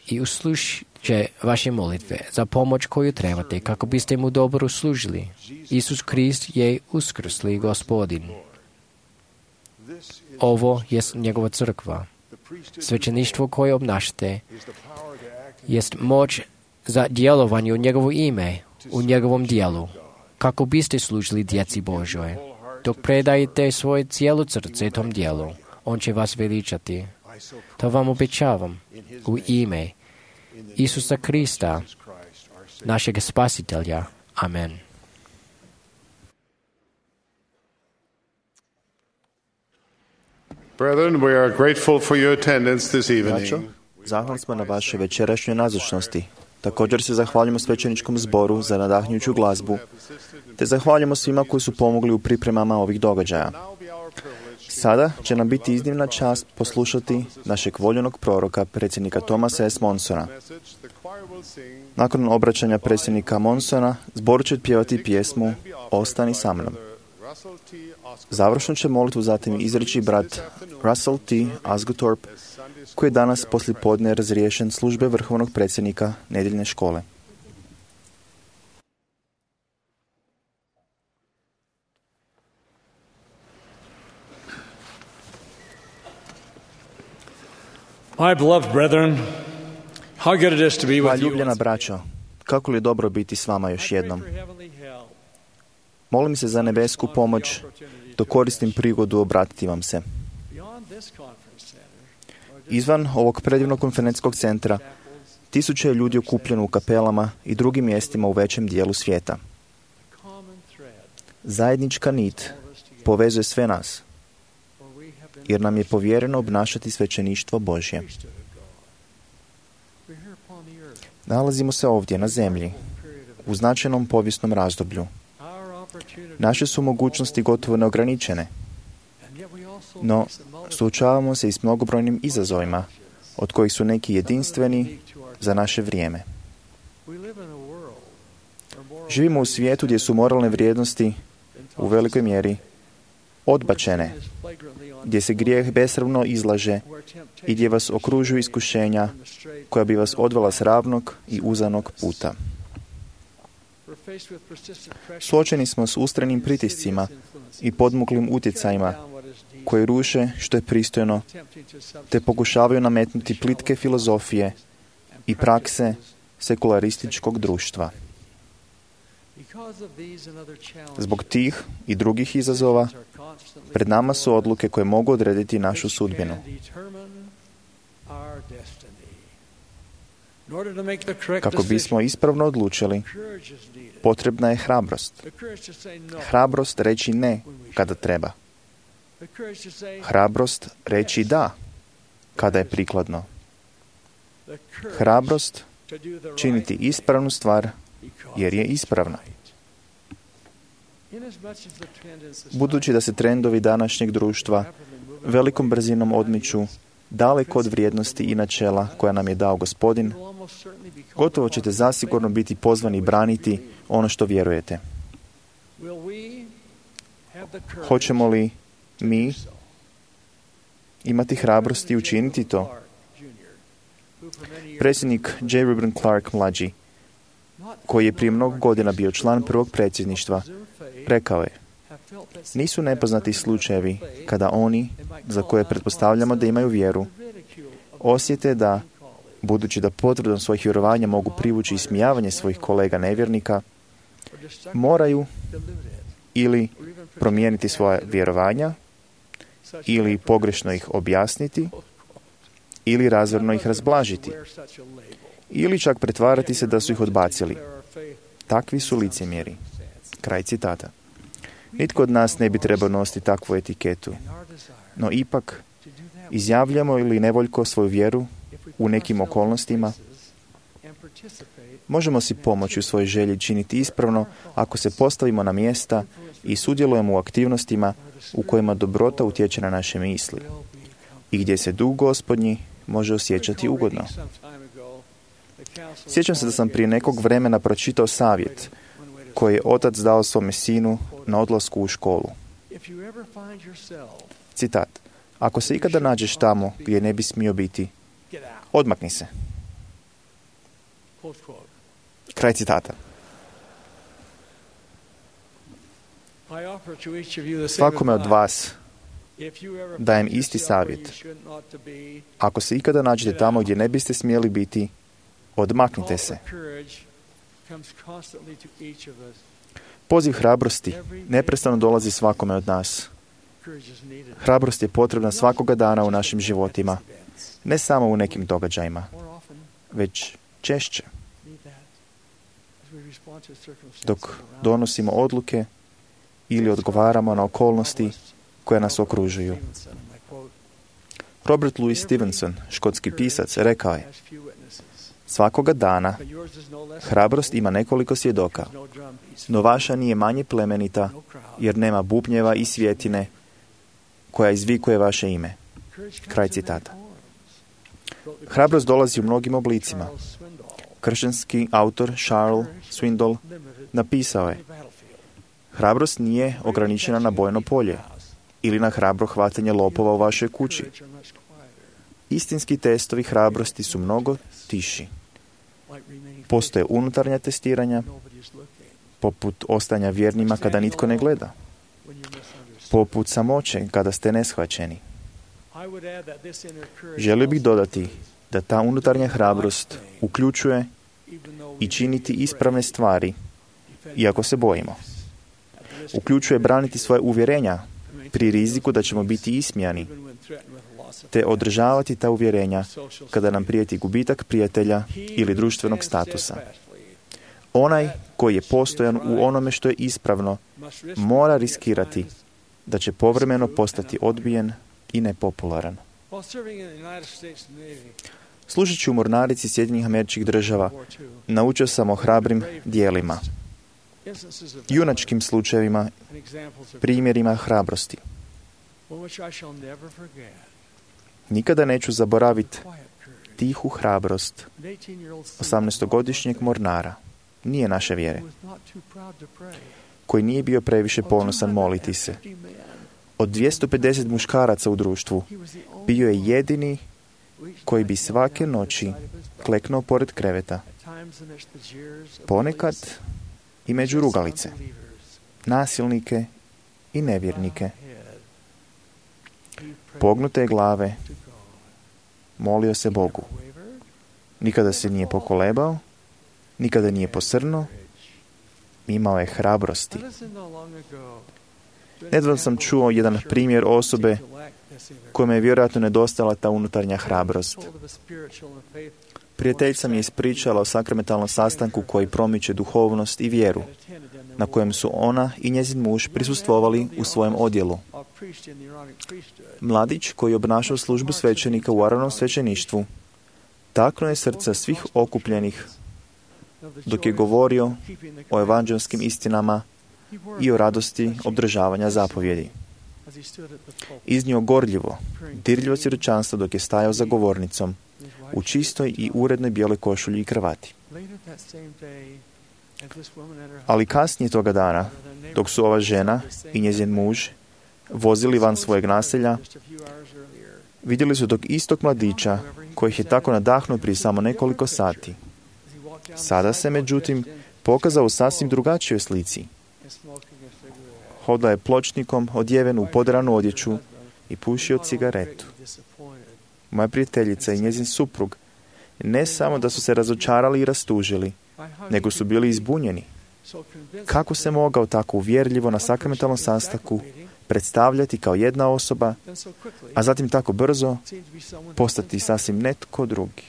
i uslušit će vaše molitve za pomoć koju trebate kako biste mu dobro služili. Isus Krist je uskrsli Gospodin. Ovo je njegova crkva. Svećeništvo koje obnašate jest moć za djelovanje u njegovo ime, u njegovom dijelu, kako biste služili djeci Božoj. Dok predajete svoje cijelo srce tom dijelu, on će vas veličati. To vam obećavam u ime Isusa Krista, našeg Spasitelja. Amen. Brethren, we are grateful for your attendance this evening. Braćo, zahvalni smo na vašoj večerašnjoj nazočnosti. Također se zahvaljujemo svećeničkom zboru za nadahnjuću glazbu, te zahvaljujemo svima koji su pomogli u pripremama ovih događaja. Sada će nam biti iznimna čast poslušati našeg voljenog proroka, predsjednika Thomasa S. Monsona. Nakon obraćanja predsjednika Monsona, zbor će pjevati pjesmu "Ostani sa mnom". Završno će molitvu zatim izreći brat Russell T. Asguthorpe, koji je danas poslijepodne razriješen službe vrhovnog predsjednika nedjeljne škole. My beloved brethren, how good it is to be with you. Ljubljena braćo, kako li je dobro biti s vama još jednom. Molim se za nebesku pomoć, dok koristim prigodu obratiti vam se. Izvan ovog predivnog konferencijskog centra, tisuće je ljudi okupljeno u kapelama i drugim mjestima u većem dijelu svijeta. Zajednička nit povezuje sve nas. jer nam je povjereno obnašati svećeništvo Božje. Nalazimo se ovdje na zemlji, u značajnom povijesnom razdoblju. Naše su mogućnosti gotovo neograničene, no suočavamo se i s mnogobrojnim izazovima, od kojih su neki jedinstveni za naše vrijeme. Živimo u svijetu gdje su moralne vrijednosti u velikoj mjeri odbačene, gdje se grijeh besramno izlaže i gdje vas okružuju iskušenja koja bi vas odvela s ravnog i uzanog puta. Suočeni smo s ustranim pritiscima i podmuklim utjecajima koji ruše što je pristojno, te pokušavaju nametnuti plitke filozofije i prakse sekularističkog društva. Zbog tih i drugih izazova, pred nama su odluke koje mogu odrediti našu sudbinu. Kako bismo ispravno odlučili, potrebna je hrabrost. Hrabrost reći ne kada treba. Hrabrost reći da kada je prikladno. Hrabrost činiti ispravnu stvar jer je ispravna. Budući da se trendovi današnjeg društva velikom brzinom odmiču daleko od vrijednosti i načela koja nam je dao Gospodin, gotovo ćete zasigurno biti pozvani braniti ono što vjerujete. Hoćemo li mi imati hrabrosti učiniti to? Predsjednik J. Reuben Clark mlađi, koji je prije mnogo godina bio član prvog predsjedništva, rekao je: nisu nepoznati slučajevi kada oni, za koje pretpostavljamo da imaju vjeru, osjete da, budući da potvrdom svojih vjerovanja mogu privući ismijavanje svojih kolega nevjernika, moraju ili promijeniti svoja vjerovanja, ili pogrešno ih objasniti, ili razvorno ih razblažiti, ili čak pretvarati se da su ih odbacili. Takvi su licemjeri. Kraj citata. Nitko od nas ne bi trebao nositi takvu etiketu, no ipak izjavljamo ili nevoljko svoju vjeru u nekim okolnostima, možemo si pomoći u svojoj želji činiti ispravno ako se postavimo na mjesta i sudjelujemo u aktivnostima u kojima dobrota utječe na naše misli i gdje se duh Gospodnji može osjećati ugodno. Sjećam se da sam prije nekog vremena pročitao savjet koji je otac dao svome sinu na odlasku u školu. Citat: ako se ikada nađeš tamo gdje ne bi smio biti, odmakni se. Kraj citata. Svakome od vas dajem isti savjet. Ako se ikada nađete tamo gdje ne biste smjeli biti, odmaknite se. Poziv hrabrosti neprestano dolazi svakome od nas. Hrabrost je potrebna svakoga dana u našim životima, ne samo u nekim događajima, već češće. Dok donosimo odluke ili odgovaramo na okolnosti koje nas okružuju. Robert Louis Stevenson, škotski pisac, rekao je: svakoga dana hrabrost ima nekoliko svjedoka, no vaša nije manje plemenita, jer nema bubnjeva i svjetine koja izvikuje vaše ime. Kraj citata. Hrabrost dolazi u mnogim oblicima. Kršćanski autor Charles Swindoll napisao je: hrabrost nije ograničena na bojno polje ili na hrabro hvatanje lopova u vašoj kući. Istinski testovi hrabrosti su mnogo tiši. Postoje unutarnja testiranja, poput ostanja vjernima kada nitko ne gleda, poput samoće kada ste neshvaćeni. Želio bih dodati da ta unutarnja hrabrost uključuje i činiti ispravne stvari, iako se bojimo. Uključuje braniti svoje uvjerenja pri riziku da ćemo biti ismijani, te održavati ta uvjerenja kada nam prijeti gubitak prijatelja ili društvenog statusa. Onaj koji je postojan u onome što je ispravno mora riskirati da će povremeno postati odbijen i nepopularan. Služeći u mornarici Sjedinjenih Američkih Država, naučio sam o hrabrim dijelima, junačkim slučajevima, primjerima hrabrosti. Nikada neću zaboraviti tihu hrabrost osamnaestogodišnjeg mornara, nije naše vjere, koji nije bio previše ponosan moliti se. Od dvjesto pedeset muškaraca u društvu bio je jedini koji bi svake noći kleknuo pored kreveta, ponekad i među rugalice, nasilnike i nevjernike. Pognute glave, molio se Bogu. Nikada se nije pokolebao, nikada nije posrnuo, imao je hrabrosti. Nedavno sam čuo jedan primjer osobe kojima je vjerojatno nedostala ta unutarnja hrabrost. Prijateljica mi je ispričala o sakramentalnom sastanku koji promiče duhovnost i vjeru, na kojem su ona i njezin muž prisustvovali u svojem odjelu. Mladić koji je obnašao službu svećenika u Aronovom svećeništvu taknuo je srca svih okupljenih dok je govorio o evanđelskim istinama i o radosti obdržavanja zapovjedi. Iznio gorljivo, dirljivo svjedočanstvo dok je stajao za govornicom u čistoj i urednoj bijeloj košulji i kravati. Ali kasnije toga dana, dok su ova žena i njezin muž vozili van svojeg naselja, vidjeli su tog istog mladića kojih je tako nadahnuo prije samo nekoliko sati. Sada se, međutim, pokazao u sasvim drugačijoj slici. Hodao je pločnikom odjeven u podranu odjeću i pušio cigaretu. Moja prijateljica i njezin suprug ne samo da su se razočarali i rastužili, nego su bili izbunjeni. Kako se mogao tako uvjerljivo na sakramentalnom sastanku predstavljati kao jedna osoba, a zatim tako brzo postati sasvim netko drugi?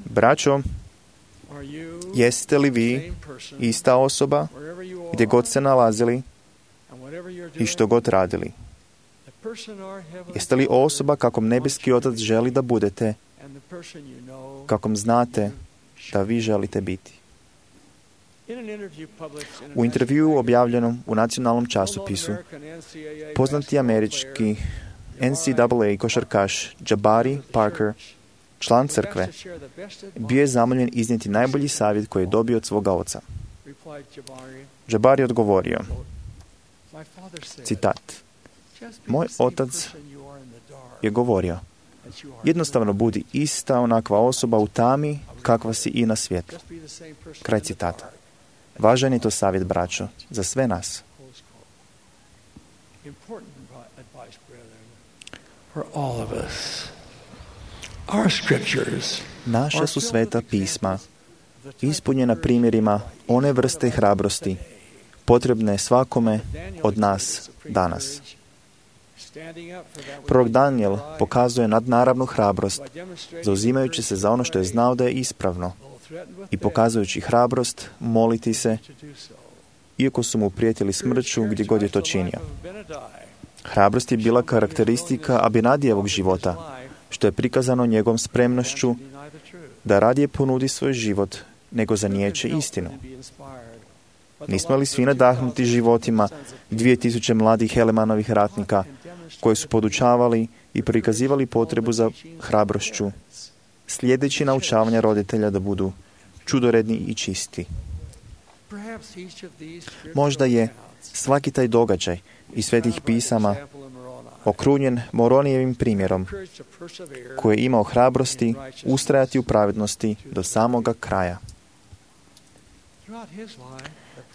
Braćo, jeste li vi ista osoba gdje god se nalazili i što god radili? Jeste li osoba kakom nebeski Otac želi da budete, kakom znate da vi želite biti? U intervjuu objavljenom u nacionalnom časopisu, poznati američki N C double A košarkaš Jabari Parker, član crkve, bio je zamoljen iznijeti najbolji savjet koji je dobio od svoga oca. Jabari je odgovorio, citat, moj otac je govorio, jednostavno budi ista onakva osoba u tami kakva si i na svijetu. Kraj citata. Važan je to savjet, braćo, za sve nas. Naša su sveta pisma ispunjena primjerima one vrste hrabrosti potrebne svakome od nas danas. Prorok Daniel pokazuje nadnaravnu hrabrost, zauzimajući se za ono što je znao da je ispravno i pokazujući hrabrost moliti se, iako su mu prijetili smrću gdje god je to činio. Hrabrost je bila karakteristika Abinadijevog života, što je prikazano njegovom spremnošću da radije ponudi svoj život nego zanijeće istinu. Nismo li svi nadahnuti životima dvije tisuće mladih Helemanovih ratnika koji su podučavali i prikazivali potrebu za hrabrošću, slijedeći naučavanja roditelja da budu čudoredni i čisti? Možda je svaki taj događaj iz svetih pisama okrunjen Moronijevim primjerom, koji je imao hrabrosti ustrajati u pravednosti do samoga kraja.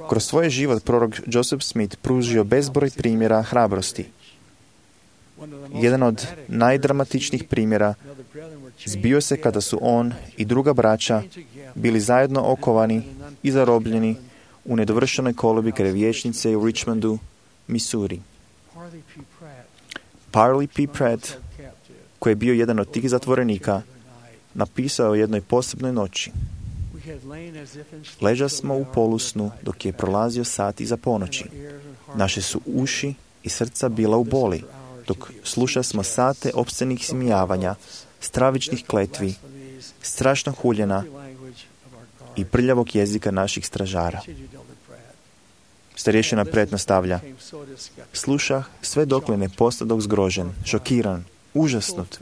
Kroz svoj život prorok Joseph Smith pružio bezbroj primjera hrabrosti. Jedan od najdramatičnijih primjera zbio se kada su on i druga braća bili zajedno okovani i zarobljeni u nedovršenoj kolobi kraj vijećnice u Richmondu, Missouri. Parley P. Pratt, koji je bio jedan od tih zatvorenika, napisao o jednoj posebnoj noći. Leža smo u polusnu dok je prolazio sat iza ponoći. Naše su uši i srca bila u boli, dok sluša smo sate opscenih smijavanja, stravičnih kletvi, strašnog huljena i prljavog jezika naših stražara. Starješina Pratt nastavlja: slušah sve dokle ne postadok zgrožen, šokiran, užasnut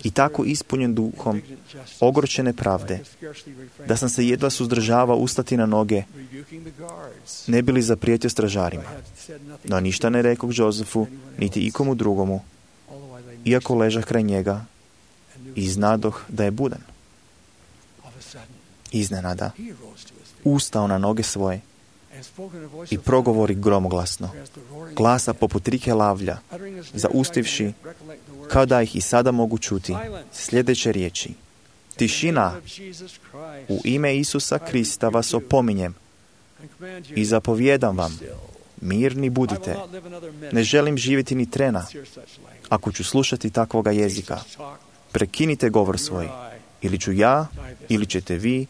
i tako ispunjen duhom ogorčene pravde, da sam se jedva suzdržavao ustati na noge, ne bi li zaprijetio stražarima. No ništa ne rekao Josefu, niti ikomu drugomu, iako ležah kraj njega i znadoh da je budan. Iznenada ustao na noge svoje i progovori gromoglasno, glasa poput rike lavlja, zaustivši, kao da ih i sada mogu čuti, sljedeće riječi: tišina, u ime Isusa Krista vas opominjem i zapovjedam vam, mirni budite, ne želim živjeti ni trena, ako ću slušati takvoga jezika. Prekinite govor svoj, ili ću ja, ili ćete vi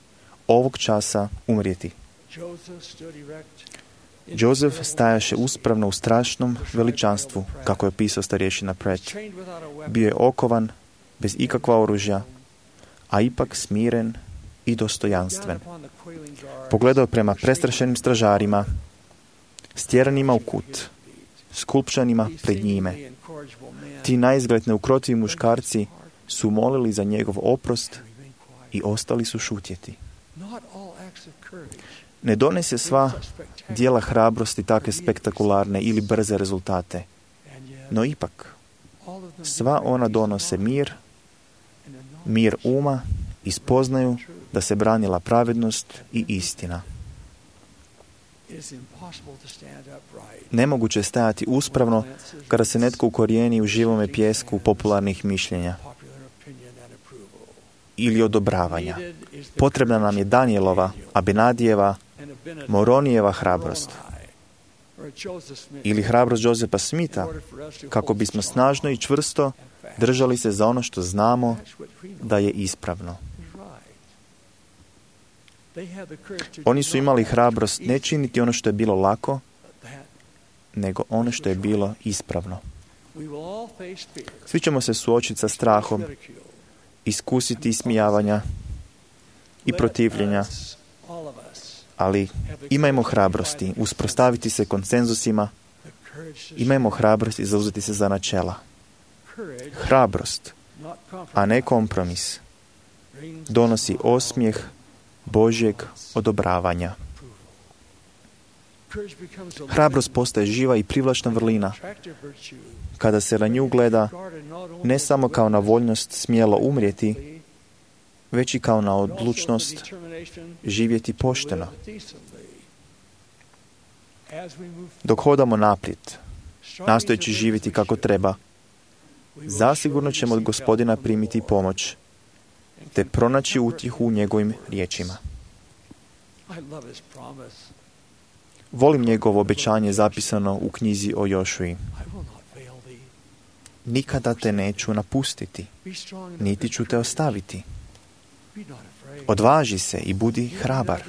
ovog časa umrijeti. Joseph stajaše uspravno u strašnom veličanstvu, kako je opisao starješina Pratt. Bio je okovan, bez ikakva oružja, a ipak smiren i dostojanstven. Pogledao prema prestrašenim stražarima, stjeranima u kut, skulpčanima pred njime. Ti naizgled neukrotivi muškarci su molili za njegov oprost i ostali su šutjeti. Ne donese sva djela hrabrosti takve spektakularne ili brze rezultate, no ipak sva ona donose mir, mir uma i spoznaju da se branila pravednost i istina. Nemoguće je stajati uspravno kada se netko ukorijeni u živome pjesku popularnih mišljenja ili odobravanja. Potrebna nam je Danielova, Abenadijeva, Moronijeva hrabrost ili hrabrost Josefa Smitha, kako bismo snažno i čvrsto držali se za ono što znamo da je ispravno. Oni su imali hrabrost ne činiti ono što je bilo lako, nego ono što je bilo ispravno. Svi ćemo se suočiti sa strahom, iskusiti ismijavanja i protivljenja, ali imajmo hrabrosti usprostaviti se konsenzusima, imajmo hrabrosti zauzeti se za načela. Hrabrost, a ne kompromis, donosi osmijeh Božjeg odobravanja. Hrabrost postaje živa i privlačna vrlina kada se na nju gleda ne samo kao na voljnost smjelo umrijeti, već i kao na odlučnost živjeti pošteno. Dok hodamo naprijed, nastojeći živjeti kako treba, zasigurno ćemo od Gospodina primiti pomoć, te pronaći utjehu u njegovim riječima. Volim njegovo obećanje zapisano u knjizi o Jošuji. Nikada te neću napustiti, niti ću te ostaviti. Odvaži se i budi hrabar.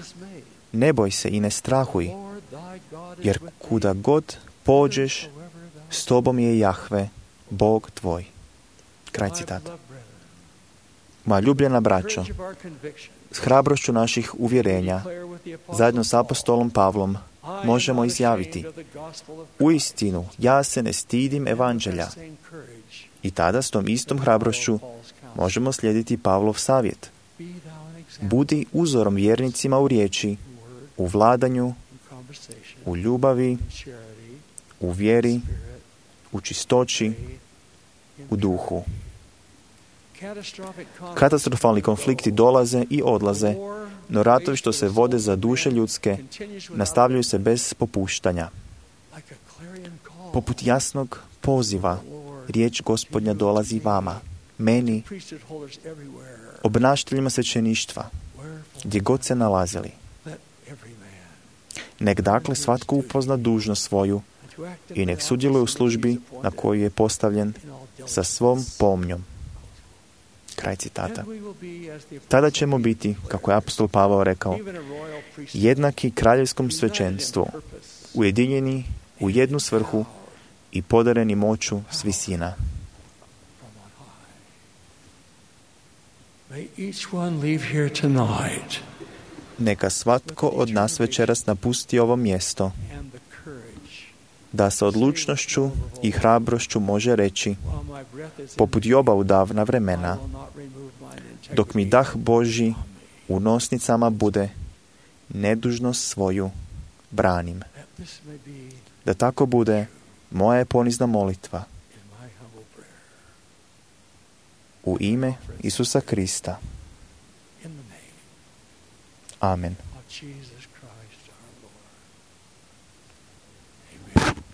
Ne boj se i ne strahuj, jer kuda god pođeš, s tobom je Jahve, Bog tvoj. Kraj citata. Moja ljubljena braćo, s hrabrošću naših uvjerenja, zajedno s apostolom Pavlom, možemo izjaviti: uistinu, ja se ne stidim evanđelja. I tada s tom istom hrabrošću možemo slijediti Pavlov savjet: budi uzorom vjernicima u riječi, u vladanju, u ljubavi, u vjeri, u čistoći, u duhu. Katastrofalni konflikti dolaze i odlaze, no ratovi što se vode za duše ljudske nastavljaju se bez popuštanja. Poput jasnog poziva, riječ Gospodnja dolazi vama, meni, obnašateljima svećeništva, gdje god se nalazili. Nek dakle svatko upozna dužnost svoju i nek sudjeluje u službi na koju je postavljen sa svom pomnjom. Kraj citata. Tada ćemo biti, kako je apostol Pavao rekao, jednaki kraljevskom svećenstvu, ujedinjeni u jednu svrhu i podareni moću s visina. May each one leave here tonight Neka svatko od nas večeras napusti ovo mjesto, and the courage, da sa odlučnošću i hrabrošću može reći, while my breath is in poput Joba u davna I vremena, will not remove mine integrity. dok mi dah Božji u nosnicama bude, nedužnost svoju branim. That this may be Da tako bude, moja je ponizna molitva in my humble prayer. u ime Isusa Krista. In the name Amen. of Jesus Christ our Lord. Amen.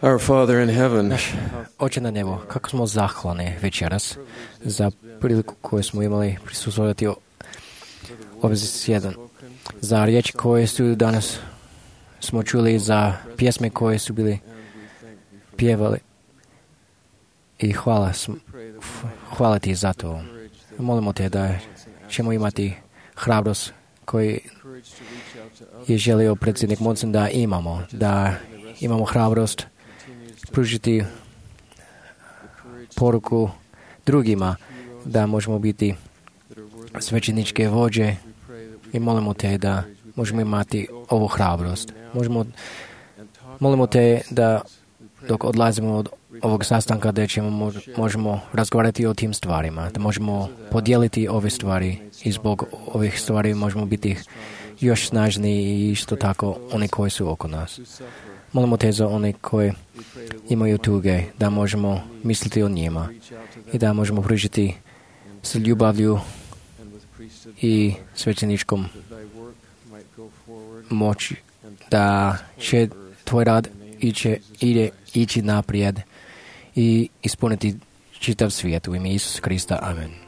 Our Father in heaven, Naš Oče na nebu, kako smo zahvalni večeras za priliku koju smo imali prisustvovati ovaj zasjedan. Za riječi koje su danas smo čuli, za pjesme koje su bili pjevali. I hvala, hvala ti za to. Molimo te da ćemo imati hrabrost koji je želio predsjednik Monson da imamo, da imamo hrabrost pružiti poruku drugima, da možemo biti svećeničke vođe i molimo te da možemo imati ovu hrabrost. Možemo, molimo te da dok odlazimo od ovog sastanka da ćemo, možemo razgovarati o tim stvarima, da možemo podijeliti ove stvari i zbog ovih stvari možemo biti još snažniji i isto tako oni koji su oko nas. Molimo te za one koji imaju tuge, da možemo misliti o njima i da možemo pružiti s ljubavlju i svećeničkom moći, da će tvoj rad iće, ide ići naprijed i ispuniti čitav svijet u ime Isusa Krista. Amen.